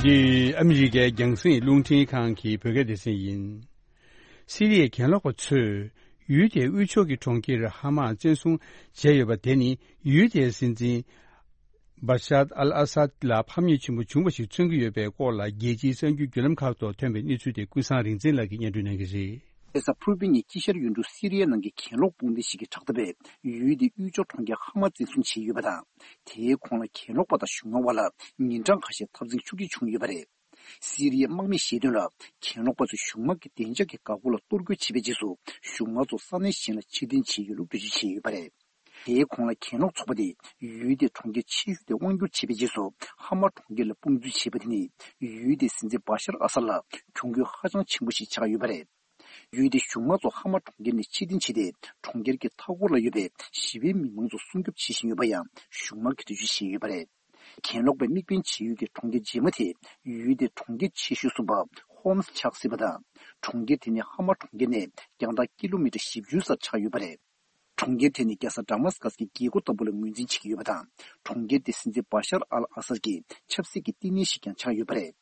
འདི་ཨ་མི་རི་ཀའི་རྒྱང་སྲིང་རླུང་འཕྲིན་ཁང་གི་བོད་སྐད་སྡེ་ཚན་ཡིན། སི་རི་ཡའི་གྱེན་ལོག་པ་ཚོས་ཡུལ་དེའི་དབུས་ཕྱོགས་ཀྱི་གྲོང་ཁྱེར་ཧ་མ་བཙན་བཟུང་བྱས་ཡོད་པ་དེ་ནི་ཡུལ་དེའི་སྲིད་འཛིན་བ་ཤར་ཨལ་ཨ་སཱད་ལ་ཕམ་ཉེས་ཆེན་པོ་བྱུང་བ་ཞིག་མཚོན་གྱི་ཡོད་པའི་སྐོར་ལ་རྒྱལ་སྤྱིའི་གསར་འགྱུར་བརྒྱུད་ལམ་ཁག་ཐོག་ཐོན་པའི་གནས་ཚུལ་དེ་ཀུན་བཟང་རིག་འཛིན་ལགས་ཀྱིས་སྙན་སྒྲོན་གནང་གི་རེད། རེས་གཟའ་ཕུར་བུའི་ཉིན་དཀྱིལ་ཤར་ཡུལ་གྲུ་སི་རི་ཡའི་ནང་གི་གྱེན་ལོག་དཔུང་སྡེ་ཞིག་གིས་དྲག་འཐབ་པས་ཡུལ་དེའི་དབུས་ཕྱོགས་གྲོང་ཁྱེར་ཧ་མ་བཙན་བཟུང་བྱས་ཡོད་པ་དང་། དེའི་ཁོངས་ལ་གྱེན་ལོག་པ་དང་གཞུང་དམངས་དབར་ལ་ཉིན་གྲངས་ཁ་ཤས་འཐབ་འཛིང་ཤུགས་ཆེ་བྱུང་ཡོད་པ་རེད། སི་རི་ཡའི་དམག་མིས་བཤད་དོན་ལ། གྱེན་ལོག་པ་ཚོས་གཞུང་དམག་གི་བདེ་འཇགས་ཀྱི་འགག་སྒོ་ལ་གཏོར་རྒོལ་བྱས་པའི་རྗེས་སུ། གཞུང་དམག་ཚོ་ས་གནས་གཞན་ལ་ཕྱིར་འཐེན་བྱས་ཡོད་ལུགས་འགྲེལ་བརྗོད་བྱས་ཡོད་པ་རེད། དེའི་ཁོངས་ལ་གྱེན་ལོག་ཚོགས་པ་དེས་ཡུལ་དེའི་གྲོང་ཁྱེར་ཆེ་ཤོས་དེ་དབང་བསྒྱུར་བྱས་པའི་རྗེས་སུ། ཧ་མ་གྲོང་ཁྱེར་ལ་དཔུང་འཛུལ་བྱས་པ་དེ་ནི། ཡུལ་དེའི་སྲིད་འཛིན་བ་ཤར་ཨ་སཱད་ལ་གྱོང་གུད་ཧ་ཅང་ཆེན་པོ་ཞིག་ཆགས་ཡོད་པ་རེད། ཡུལ་དེའི་གཞུང་དམག་ཚོ་ཧ་མ་གྲོང་ཁྱེར་ནས་ཕྱིར་འཐེན་བྱས་ཏེ། གྲོང་ཁྱེར་གྱི་མཐའ་འཁོར་ལ་ཡོད་པའི་ཞི་བའི་མི་མང་ཚོ་སྲུང་སྐྱོབ་བྱེད་བཞིན་ཡོད་པ་ཡང་གཞུང་དམག་གིས་འགྲེལ་བརྗོད་བྱས་ཡོད་པ་རེད། གྱེན་ལོག་པའི་དམིགས་འབེན་བྱེད་ཡུལ་གྱི་གྲོང་ཁྱེར་རྗེས་མ་དེ། ཡུལ་དེའི་གྲོང་ཁྱེར་ཆེ་ཤོས་གསུམ་པ་ཧོམ་སི་ཆགས་སྲིད་པ་དང་། གྲོང་ཁྱེར་དེ་ནི་ཧ་མ་གྲོང་ཁྱེར་ནས་རྒྱང་ཐག་ཀི་ལོ་མི་ཊར་བཞི་བཅུ་ཙམ་ཆགས་ཡོད་པ་རེད། གྲོང་ཁྱེར་དེ་ནི་རྒྱལ་ས་ཌ་མཱ་སི་ཀཱས་ཀྱི་རྒྱལ་སྒོ་ལྟ་བུ་ལ་ངོས་འཛིན་བྱེད་ཀྱི་ཡོད་པ་དང་། གྲོང་ཁྱེར་དེ་སྲིད་འཛིན་བ་ཤར་ཨལ་ཨ་སཱད་ཀྱི་ཆབ་སྲིད་ཀྱི་བསྟི་གནས་ཤིག་ཀྱང་ཆགས་ཡོད་པ་རེད།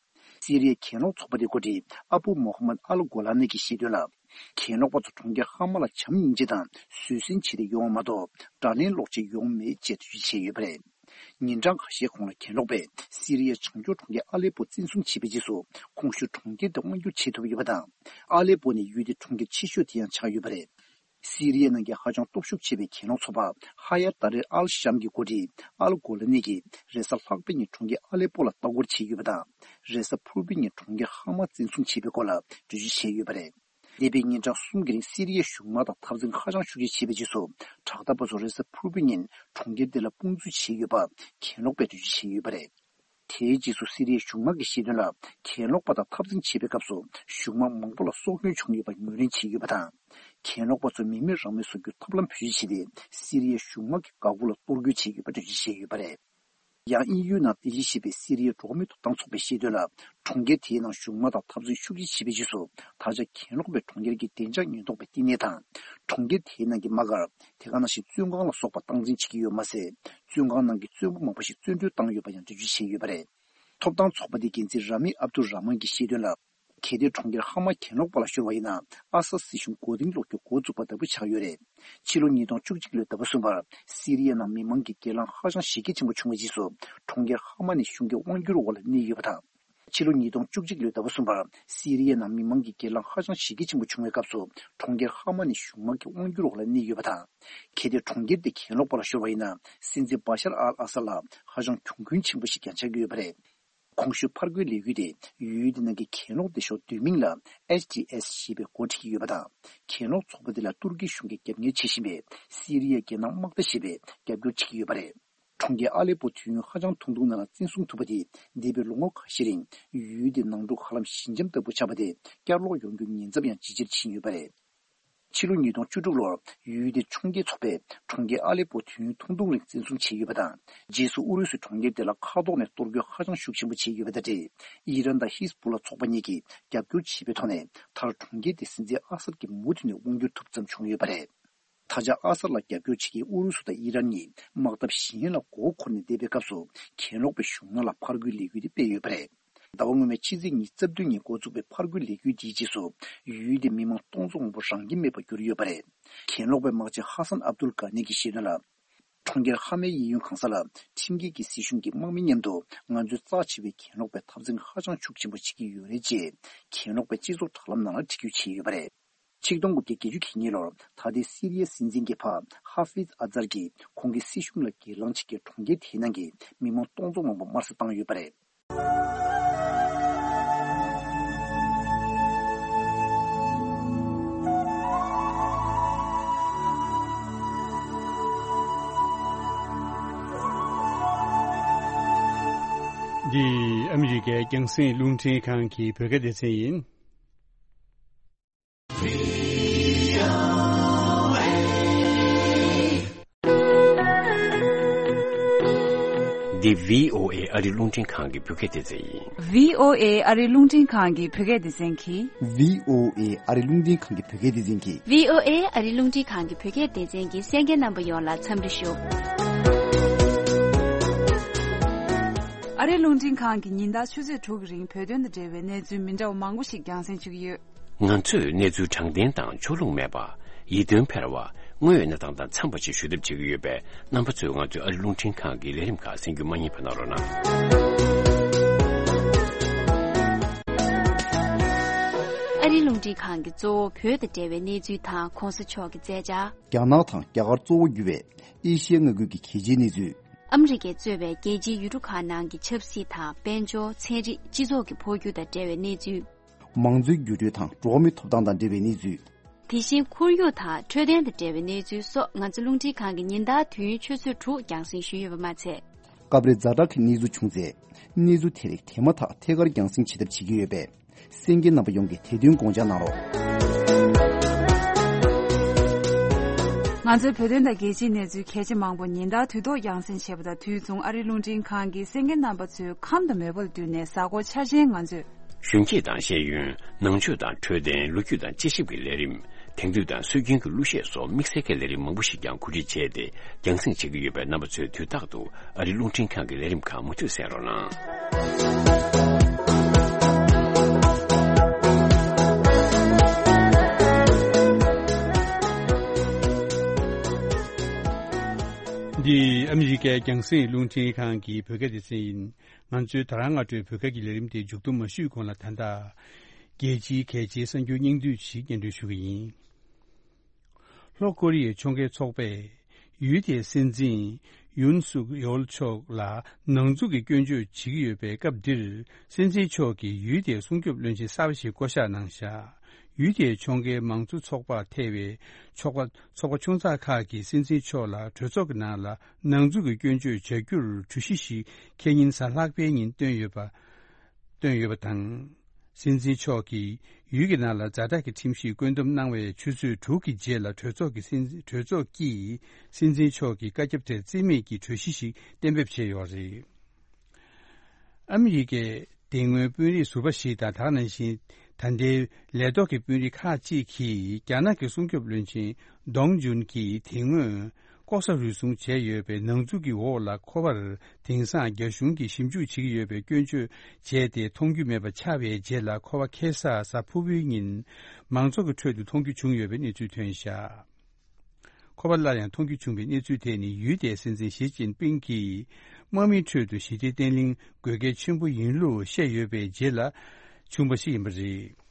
སི་རི་ཡའི་གྱེན་ལོག་ཚོགས་པ་དེའི་འགོ་ཁྲིད་ཨ་བུ་མོ་ཧ་མད་ཨལ་གོ་ལ་ནི་གིས་བཤད་དོན་ལ། གྱེན་ལོག་པ་ཚོ་གྲོང་ཁྱེར་ཧ་མ་ལ་བྱམས་སྙིང་རྗེ་དང་བཟོད་བསྲན་བྱས་ཏེ་ཡོང་བ་མ་གཏོགས། དགྲ་ལན་སློག་ཆེད་ཡོང་མེད་ཅེས་འགྲེལ་བརྗོད་བྱས་ཡོད་པ་རེད། ཉིན་གྲངས་ཁ་ཤས་གོང་ལ་གྱེན་ལོག་པས་སི་རི་ཡའི་བྱང་ཕྱོགས་གྲོང་ཁྱེར་ཨ་ལེ་པོ་བཙན་བཟུང་བྱས་པའི་རྗེས་སུ། ཁོང་ཞུ་གྲོང་ཁྱེར་དེ་དབང་བསྒྱུར་བྱེད་ཐུབ་ཡོད་པ་དང་། ཨ་ལེ་པོ་ནི་ཡུལ་དེའི་གྲོང་ཁྱེར་ཆེ་ཤོས་དེ་ཡང་ཆགས་ཡོད་པ་རེད། སི་རི་ཡའི་ནང་གི་ཧ་ཅང་སྟོབས་ཤུགས་ཆེ་བའི་གྱེན་ལོག་ཚོགས་པ་ཧ་ཡར་ཏཱ་རེར་ཨལ་ཤམ་གྱི་འགོ་ཁྲིད་ཨལ་གོ་ལ་ནི་གིས་རེས་གཟའ་ལྷག་པའི་ཉིན་གྲོང་ཁྱེར་ཨ་ལེ་པོ་ལ་ལྟ་སྐོར་བྱས་ཡོད་པ་དང་། རེས་གཟའ་ཕུར་བུའི་ཉིན་གྲོང་ཁྱེར་ཧ་མ་བཙན་བཟུང་བྱས་པའི་སྐོར་ལ་འགྲེལ་བརྗོད་བྱས་ཡོད་པ་རེད། འདས་པའི་ཉིན་གྲངས་གསུམ་གྱི་རིང་སི་རི་ཡའི་གཞུང་དམག་དང་འཐབ་འཛིང་ཧ་ཅང་ཤུགས་ཆེ་བྱས་པའི་རྗེས་སུ། དྲག་འཐབ་པ་ཚོ་རེས་གཟའ་ཕུར་བུའི་ཉིན་གྲོང་ཁྱེར་དེ་ལ་དཔུང་འཛུལ་བྱས་ཡོད་པ་གྱེན་ལོག་པས་འགྲེལ་བརྗོད་བྱས་ཡོད་པ་རེད། དེའི་རྗེས་སུ་སི་རི་ཡའི་གཞུང་དམག་གིས་བཤད་དོན་ལ། གྱེན་ལོག་པ་དང་འཐབ་འཛིང་བྱེད་པའི་སྐབས་སུ་གཞུང་དམག་མང་པོ་ལ་སྲོག་སྐྱོན་བྱུང་ཡོད་པ་ངོས་ལེན་བྱས་ཡོད་པ་དང་། གྱེན་ལོག་པ་ཚོས་མི་མེད་རང་མེད་བཟོ་རྒྱུའི་ཐབས་ལམ་བེད་སྤྱོད་བྱས་ཏེ། སི་རི་ཡའི་གཞུང་དམག་གི་འགག་སྒོ་ལ་གཏོར་རྒོལ་བྱས་ཡོད་པ་འགྲེལ་བརྗོད་བྱས་ཡོད་པ་རེད། ཡང་དབྱིན་ཡུལ་ནང་རྟེན་གཞི་བྱས་པའི་སི་རི་ཡའི་འགྲོ་བ་མིའི་ཐོབ་ཐང་ཚོགས་པས་བཤད་དོན་ལ། གྲོང་ཁྱེར་དེའི་ནང་གཞུང་དམག་དང་འཐབ་འཛིང་ཤུགས་ཆེ་བྱས་པའི་རྗེས་སུ། ད་ཆ་གྱེན་ལོག་པའི་གྲོང་ཁྱེར་གྱི་བདེ་འཇགས་ཉེན་རྟོག་པའི་བསྟི་གནས་དང་། གྲོང་ཁྱེར་དེའི་ནང་གི་དམག་སྒར། དེ་ག་ནང་བཞིན་བཙོན་ཁང་ལ་སོགས་པ་སྟངས་འཛིན་བྱེད་ཀྱི་ཡོད་མ་ཟད། བཙོན་ཁང་ནང་གི་བཙོན་པ་མང་པོ་ཞིག་བཙོན་གྲོལ་བཏང་ཡོད་པ་ཡང་འགྲེལ་བརྗོད་བྱས་ཡོད་པ་རེད། ཐོབ་ཐང་ཚོགས་པ་དེའི་འགན་འཛིན་ར་མི་ཨབ་དུ་ར་མན་གྱིས་བཤད་དོན་ལ། གལ་ཏེ་གྲོང་ཁྱེར་ཧ་མ་གྱེན་ལོག་པ་ལ་ཤོར་བ་ཡིན་ན། ཨ་སཱད་སྲིད་གཞུང་མགོ་རྟིང་སློག་རྒྱུ་འགོ་བཙུགས་པ་ལྟ་བུ་ཆགས་ཡོད་རེད། ཕྱི་ལོ་ཉིས་སྟོང་བཅུ་གཅིག་ལོའི་ཟླ་བ་གསུམ་པར་སི་རི་ཡའི་ནང་མི་མང་གི་སྒེར་ལངས་ཧ་ཅང་གཞི་རྒྱ་ཆེན་པོ་བྱུང་བའི་རྗེས་སུ། གྲོང་ཁྱེར་ཧ་མ་ནི་གཞུང་གི་དབང་སྒྱུར་འོག་ལ་གནས་ཡོད་པ་དང་། ཕྱི་ལོ་ཉིས་སྟོང་བཅུ་གཅིག་ལོའི་ཟླ་བ་གསུམ་པར་སི་རི་ཡའི་ནང་མི་མང་གི་སྒེར་ལངས་ཧ་ཅང་གཞི་རྒྱ་ཆེན་པོ་བྱུང་བའི་སྐབས་སུ། གྲོང་ཁྱེར་ཧ་མ་ནི་གཞུང་དམག་གི་དབང་སྒྱུར་འོག་ལ་གནས་ཡོད་པ་དང་། གལ་ཏེ་གྲོང་ཁྱེར་དེ་གྱེན་ལོག་པ་ལ་ཤོར་བ་ཡིན་ན། སྲིད་འཛིན་བ་ཤར་ཨལ་ཨ་སཱད་ལ་ཧ་ཅང་གྱོང་གུན་ཆེན་པོ་ཞིག་ཀྱང་ཆགས་ཀྱི་ཡོད་པ་རེད། གོང་ཞུས་ཕར་རྒོལ་ལས་འགུལ་དེ་ཡུལ་དེ་ནང་གི་གྱེན་ལོག་སྡེ་ཤོག་བསྡུས་མིང་ལ་ཨེཆ་ཊི་ཨེས་ཞེས་པས་འགོ་ཁྲིད་ཀྱི་ཡོད་པ་དང་། གྱེན་ལོག་ཚོགས་པ་དེ་ལ་ཏུར་ཀི་གཞུང་གིས་རྒྱབ་གཉེར་བྱེད་བཞིན་པའི་སི་རི་ཡའི་རྒྱལ་ནང་དམག་སྡེ་ཞེས་པས་རྒྱབ་སྐྱོར་བྱེད་ཀྱི་ཡོད་པ་རེད། གྲོང་ཁྱེར་ཨ་ལེ་པོ་དུས་ཡུན་ཧ་ཅང་ཐུང་ཐུང་ནང་ལ་བཙན་བཟུང་ཐུབ་པ་དེས། འདས་པའི་ལོ་ངོ་ཁ་ཤས་རིང་ཡུལ་དེའི་ནང་འཁྲུག་ཧ་ལམ་ཞི་འཇམ་ལྟ་བུ་ཆགས་པ་དེ་བསྐྱར་ལོག་ཡོང་རྒྱུ་ཉེན་ཚབས་ཡང་ཇེ་ཆེར་ཕྱིན་ཡོད་པ་རེད། ཕྱི་ལོ་ཉིས་སྟོང་བཅུ་དྲུག་ལོར་ཡུལ་དེའི་འཕྱོངས་རྒྱས་ཚོགས་པས་གྲོང་ཁྱེར་ཨ་ལེ་པོ་དུས་ཡུན་ཐུང་ཐུང་རིང་བཙན་བཟུང་བྱས་ཡོད་པ་དང་། རྗེས་སུ་ཨུ་རུ་སུས་གྲོང་ཁྱེར་དེ་ལ་མཁའ་ཐོག་ནས་གཏོར་རྒོལ་ཧ་ཅང་ཤུགས་ཆེན་པོ་བྱས་ཡོད་པ་དང་འབྲེལ། ཨི་རན་དང་ཧིས་པུ་ལ་ཚོགས་པ་གཉིས་ཀྱིས་རྒྱབ་སྐྱོར་བྱས་པའི་ཐོག་ནས། མཐར་གྲོང་ཁྱེར་དེ་སྲིད་འཛིན་ཨ་སད་ཀྱིས་མུ་མཐུད་ནས་དབང་སྒྱུར་ཐུབ་ཙམ་བྱུང་ཡོད་པ་རེད། ད་ཆ་ཨ་སད་ལ་རྒྱབ་སྐྱོར་བྱེད་མཁན་ཨུ་རུ་སུ་དང་ཨི་རན་གཉིས་དམག་འཐབ་གཞན་ལ་མགོ་འཁོར་ནས་བསྡད་པའི་སྐབས་སུ། གྱེན་ལོག་པའི་གཞུང་ནང་ལ་ཕར་རྒོལ་ལས་འགུལ་དེ་སྤེལ་ཡོད་པ་རེད། ཟླ་བ་སྔོན་མའི་ཕྱི་ཚེས་ཉི་ཤུ་རྩ་བདུན་ཉིན་འགོ་བཙུགས་པའི་ཕར་རྒོལ་ལས་འགུལ་དེའི་རྗེས་སུ། ཡུལ་དེའི་མི་མང་སྟོང་ཚོ་མང་པོ་རང་ཁྱིམ་མེད་པར་གྱུར་ཡོད་པ་རེད། གྱེན་ལོག་པའི་དམག་སྤྱི་ཧ་སན་ཨབ་དུལ་གྷ་ནི་གྱིས་བཤད་དོན་ལ། གྲོང་ཁྱེར་ཧ་མའི་གཡས་གཡོན་གང་ས་ལ་ཁྲིམས་འགལ་གྱི་སྲིད་གཞུང་གི་དམག་མི་མཉམ་དུ་ང་ཚོའི་རྩ་ཆེ་བའི་གྱེན་ལོག་པའི་འཐབ་འཛིང་ཧ་ཅང་ཤུགས་ཆེན་པོ་བྱེད་ཀྱི་ཡོད་རེད་ཅེས། གྱེན་ལོག་པའི་སྤྱི་ཚོགས་དྲ་ལམ་ནང་ལ་འབྲི་སྐུལ་བྱས་ཡོད་པ་རེད། ཆིག་སྟོང་དགུ་བརྒྱ་བརྒྱད་ཅུ་གྱ་གཉིས་ལོར་ད་ལྟའི་སི་རི་ཡའི་སྲིད་འཛིན་གྱི་ཕ་ཧ་ཧྥིཛ་ཨ་ཛར་གྱིས་ཁོང་གི་སྲིད་གཞུང་ལ་སྒེར་ལངས་བྱེད་མཁན་གྲོང་ཁྱེར་དེའི་ནང་གི་མི་མང་སྟོང་ཚོ་མང་པོ་དམར་གསོད་བཏང་ཡོད་པ་རེད། འདི་ཨ་མི་རི་ཀའི་རྒྱང་སྲིང་རླུང་འཕྲིན་ཁང་གི་བོད་སྐད་སྡེ་ཚན་ཡིན། འདི་བྷི་ཨོ་ཨེ་ཨ་རི་རླུང་འཕྲིན་ཁང་གི་བོད་སྐད་སྡེ་ཚན་ཡིན། བྷི་ཨོ་ཨེ་ཨ་རི་རླུང་འཕྲིན་ཁང་གི་བོད་སྐད་སྡེ་ཚན་གྱིས། བྷི་ཨོ་ཨེ་ཨ་རི་རླུང་འཕྲིན་ཁང་གི་བོད་སྐད་སྡེ་ཚན་གྱིས། བྷི་ཨོ་ཨེ་ཨ་རི་རླུང་འཕྲིན་ཁང་གི་བོད་སྐད་སྡེ་ཚན་གྱི་གསན་མཁན་རྣམ་པ་ཡོངས་ལ་འཚམས་འདྲི་ཞུ། ཨ་རི་རླུང་འཕྲིན་ཁང་གིས་ཉིན་ལྟར་ཆུ་ཚོད་དྲུག་གི་རིང་བོད་དོན་དང་འབྲེལ་བའི་གནས་ཚུལ་མི་འདྲ་བ་མང་པོ་ཞིག་རྒྱང་སྲིང་ཞུ་གི་ཡོད། ང་ཚོས་གནས་ཚུལ་དྲང་བདེན་དང་ཕྱོགས་ལྷུང་མེད་པ། ཡིད་རྟོན་འཕེར་བ། དངོས་ཡོད་གནས་སྟངས་དང་འཚམས་པ་ཞིག་ཞུ་ཐབས་བྱེད་ཀྱི་ཡོད་པས། རྣམ་པ་ཚོས་ང་ཚོའི་ཨ་རི་རླུང་འཕྲིན་ཁང་གི་ལས་རིམ་ཁག་གསན་རྒྱུ་མ་བསྙེལ་བ་གནང་རོགས་གནང་། ཨ་རི་རླུང་འཕྲིན་ཁང་གིས་གཙོ་བོ་བོད་དང་འབྲེལ་བའི་གནས་ཚུལ་དང་གོང་ས་མཆོག་གི་མཛད་འཆར། རྒྱ་ནག་དང་རྒྱ་གར་གཙོ་བོ་གྱུར་བའི་ཨེ་ཤི་ཡའི་མངའ་ཁུལ་གྱི་གལ་ཆེའི་གནས་ཚུལ། ཨ་མི་རི་ཀས་གཙོས་པའི་རྒྱལ་སྤྱིའི་ཡུལ་གྲུ་ཁག་ནང་གི་ཆབ་སྲིད་དང་དཔལ་འབྱོར། ཚན་རིག་སྤྱི་ཚོགས་ཀྱི་འཕོ་འགྱུར་དང་འབྲེལ་བའི་གནས་ཚུལ། མང་གཙོའི་འགྱུར་འགྲོས་དང་འགྲོ་བ་མིའི་ཐོབ་ཐང་དང་འབྲེལ་བའི་གནས་ཚུལ། དེ་བཞིན་ཁོར་ཡུག་དང་འཕྲོད་བསྟེན་དང་འབྲེལ་བའི་གནས་ཚུལ་སོགས། ང་ཚོ་རླུང་འཕྲིན་ཁང་གིས་ཉིན་ལྟར་དུས་ཡུན་ཆུ་ཚོད་དྲུག་རྒྱང་སྲིང་ཞུས་ཡོད་པ་མ་ཚད། སྐབས་རེ་ཛ་དྲག་གི་གནས་ཚུལ་བྱུང་ཚེ། གནས་ཚུལ་དེ་རིགས་དེ་མ་ཐག་ཐད་ཀར་རྒྱང་སྲིང་བྱེད་ཐབས་བྱེད་ཀྱི་ཡོད་པས། གསན་མཁན་རྣམ་པ་ཡོངས་ཀྱིས་དེ་དོན་དགོངས་འཇགས་གནང་རོགས། ང་ཚོའི་བོད་དོན་དང་རྒྱལ་སྤྱིའི་གནས་ཚུལ་གལ་ཆེ་མང་པོ་ཉིན་ལྟར་དུས་ཐོག་རྒྱང་སྲིང་བྱེད་པ་དང་དུས་མཚུངས། ཨ་རིའི་རླུང་འཕྲིན་ཁང་གིས་གསན་མཁན་རྣམ་པ་ཚོའི་ཁམས་དང་མོས་པ་ལ་བསྟུན་ནས། གཟའ་འཁོར་འཆར་ཅན་ང་ཚོས། གཞོན་སྐྱེས་དང་ཤེས་ཡོན། ནང་ཆོས་དང་འཕྲོད་བསྟེན། ལོ་རྒྱུས་དང་དཔྱད་ཞིབ་ཀྱི་ལས་རིམ། དེང་དུས་དང་སྲོལ་རྒྱུན་གྱི་གླུ་གཞས་སོགས་དམིགས་བསལ་གྱི་ལས་རིམ་མང་པོ་ཞིག་ཀྱང་གོ་སྒྲིག་བྱས་ཏེ། རྒྱང་སྲིང་བྱེད་ཀྱི་ཡོད་པས། རྣམ་པ་ཚོས་དུས་རྟག་ཏུ་ཨ་རིའི་རླུང་འཕྲིན་ཁང་གི་ལས་རིམ་ཁག་མུ་མཐུད་གསན་རོགས་གནང་། འདི་ཨ་མི་རི་ཀའི་རྒྱང་སྲིང་རླུང་འཕྲིན་ཁང་གི་བོད་སྐད་སྡེ་ཚན་ཡིན། ང་ཚོའི་ད་རང་སྔ་དྲོའི་བོད་སྐད་ཀྱི་ལས་རིམ་དེ་མཇུག་བསྡོམས་མ་ཞུས་གོང་ལ། ད་ལྟ་རྒྱལ་སྤྱིའི་གལ་ཆེའི་གསར་འགྱུར་སྙིང་བསྡུས་ཤིག་སྙན་སྒྲོན་ཞུ་གི་ཡིན། ལྷོ་ཀོ་རི་ཡའི་ཕྱོགས་འགལ་ཚོགས་པས་ཡུལ་དེའི་སྲིད་འཛིན་ཡུན་སུག་ཡོལ་མཆོག་ལ་ནང་འཛུལ་གྱི་སྐྱོན་བརྗོད་བྱེད་ཀྱི་ཡོད་པའི་སྐབས་འདིར། སྲིད་འཛིན་མཆོག་གིས་ཡུལ་དེའི་སྲུང་སྐྱོབ་བློན་ཆེན་གསར་པ་ཞིག་བསྐོ་གཞག་གནང་བཞག་ཡུལ་དེའི་ཕྱོགས་འགལ་མང་གཙོ་ཚོགས་པ་ཐེ་བའི་ཚོགས་པ་ཚོགས་པ་ཆུང་ཚགས་ཁག་གིས་སྲིད་འཛིན་མཆོག་ལ་གྲོས་ཚོགས་ཀྱི་ནང་ལ་ནང་འཛུལ་གྱི་སྐྱོན་བརྗོད་བྱ་རྒྱུར་གྲོས་གཞི་ཞིག་ཁེ་ཉིན་གཟའ་ལྷག་པའི་ཉིན་བཏོན་ཡོད་པ། བཏོན་ཡོད་པ་དང་། སྲིད་འཛིན་མཆོག་གིས་ཡུལ་གྱི་ནང་ལ་ཛ་དྲག་གི་ཁྲིམས་གཞི་བཀོད་འདོམས་གནང་བའི་ཆུ་ཚོད་དྲུག་གི་རྗེས་ལ་གྲོས་ཚོགས་ཀྱི་སྲིད་གྲོས་ཚོགས་ཀྱིས་སྲིད་འཛིན་མཆོག་གི་བཀའ་ཁྱབ་དེར་རྩིས་མེད་ཀྱི་གྲོས་གཞི་ཞིག་གཏན་འབེབས་བྱས་ཡོད་རེད། ཨ་མི་རི་ཀའི་དེ་སྔོན་དཔོན་རིགས་ཟུར་པ་ཞིག་དང་། ད་ག་ནང་བཞིན་ད་ལྟའི་ལས་ཐོག་གི་དཔོན་རིགས་ཁག་ཅིག་གིས་རྒྱ་ནག་གི་སྲུང་སྐྱོབ་བློན་ཆེན་ཏོང་ཇུན་གྱིས་དེ་སྔོན་ལྐོག་ཟ་རུལ་སུངས་བྱས་ཡོད་པའི་ནང་འཛུལ་གྱི་འོག་ལ་ཁོ་པར་དེང་སང་རྒྱ་གཞུང་གིས་ཞིབ་འཇུག་བྱེད་ཀྱི་ཡོད་པའི་སྐྱོན་བརྗོད་བྱས་ཏེ། མཐོང་རྒྱུ་མེད་པ་ཆགས་པའི་རྗེས་ལ། ཁོ་པ་ཁ་སང་གཟའ་ཕུར་བུའི་ཉིན་མང་ཚོགས་ཀྱི་ཁྲོད་དུ་མཐོང་རྒྱུ་བྱུང་ཡོད་པའི་གནས་ཚུལ་ཐོན་བཞག་ཁོ་པ་སླར་ཡང་མཐོང་རྒྱུ་བྱུང་བའི་གནས་ཚུལ་དེ་ནི། ཡུལ་དེའི་སྲིད་འཛིན་ཞི་ཅིན་ཕིང་གིས་དམག་མིའི་ཁྲོད་དུ་ཞི་བདེ་བརྟན་ལྷིང་དགོས་གལ་ཆེན་པོ་ཡིན་ལུགས་བཤད་ཡོད་པའི་རྗེས་ལ་བྱུང་བ་ཞིག་ཡིན་པ་རེད།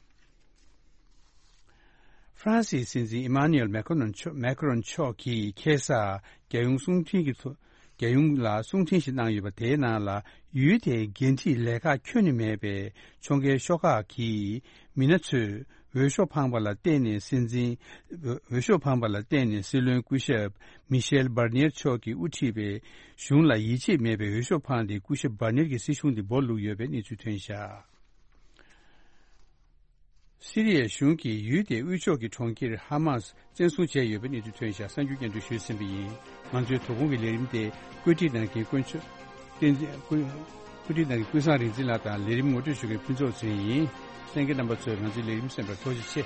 ཧྥ་རན་སིའི་སྲིད་འཛིན་ཨི་མཱ་ནུ་ཨེལ་མེ་ཁ་རོན་མཆོག་མེ་ཁ་རོན་མཆོག་གིས་ཁ་སང་རྒྱལ་ཡོངས་གསུང་འཕྲིན་གྱི་ཐོག་རྒྱལ་ཡོངས་ལ་གསུང་འཕྲིན་ཞིག་གནང་ཡོད་པ། དེའི་ནང་ལ་ཡུལ་དེའི་འགན་འཁྲིའི་ལས་ཁག་ཁྱོན་ནས་མེད་པའི་ཕྱོགས་འགལ་ཤོག་ཁག་གི་མི་སྣ་ཚོས་འོས་ཤོག་འཕངས་པ་ལ་བརྟེན་ནས། སྲིད་འཛིན་འོས་ཤོག་འཕངས་པ་ལ་བརྟེན་ནས་སྲིད་བློན་སྐུ་ཞབས་མི་ཤེལ་བྷར་ནིར་མཆོག་གིས་དབུ་ཁྲིད་པའི་གཞུང་ལ་ཡིད་ཆེས་མེད་པའི་འོས་ཤོག་འཕངས་ཏེ། སྐུ་ཞབས་བྷར་ནིར་གྱི་སྲིད་གཞུང་དེ་སྦོ་ལུག་ཡོད་པའི་གནས་ཚུལ་ཐོན་བཞག་སི་རི་ཡའི་གཞུང་གིས་ཡུལ་དེའི་དབུས་ཕྱོགས་ཀྱི་གྲོང་ཁྱེར་ཧ་མཱས་བཙན་བཟུང་བྱས་ཡོད་པའི་གནས་ཚུལ་ཐོན་ཤག་གསར་འགྱུར་སྙན་སྒྲོན་ཞུས་ཟིན་པ་ཡིན། ང་ཚོའི་དོ་དགོང་གི་ལས་རིམ་དེ་བཀོད་སྒྲིག་གནང་མཁན་དཀོན་མཆོག་བསྟན་འཛིན་ཀུན། བཀོད་སྒྲིག་གནང་མཁན་ཀུན་བཟང་རིག་འཛིན་ལགས་དང་ལས་རིམ་ངོ་སྤྲོད་ཞུ་མཁན་ཕུན་ཚོགས་ཚེ་རིང་ཡིན། གསན་མཁན་རྣམ་པ་ཚོས་ང་ཚོའི་ལས་རིམ་གསན་པར་ཐུགས་རྗེ་ཆེ།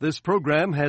This program has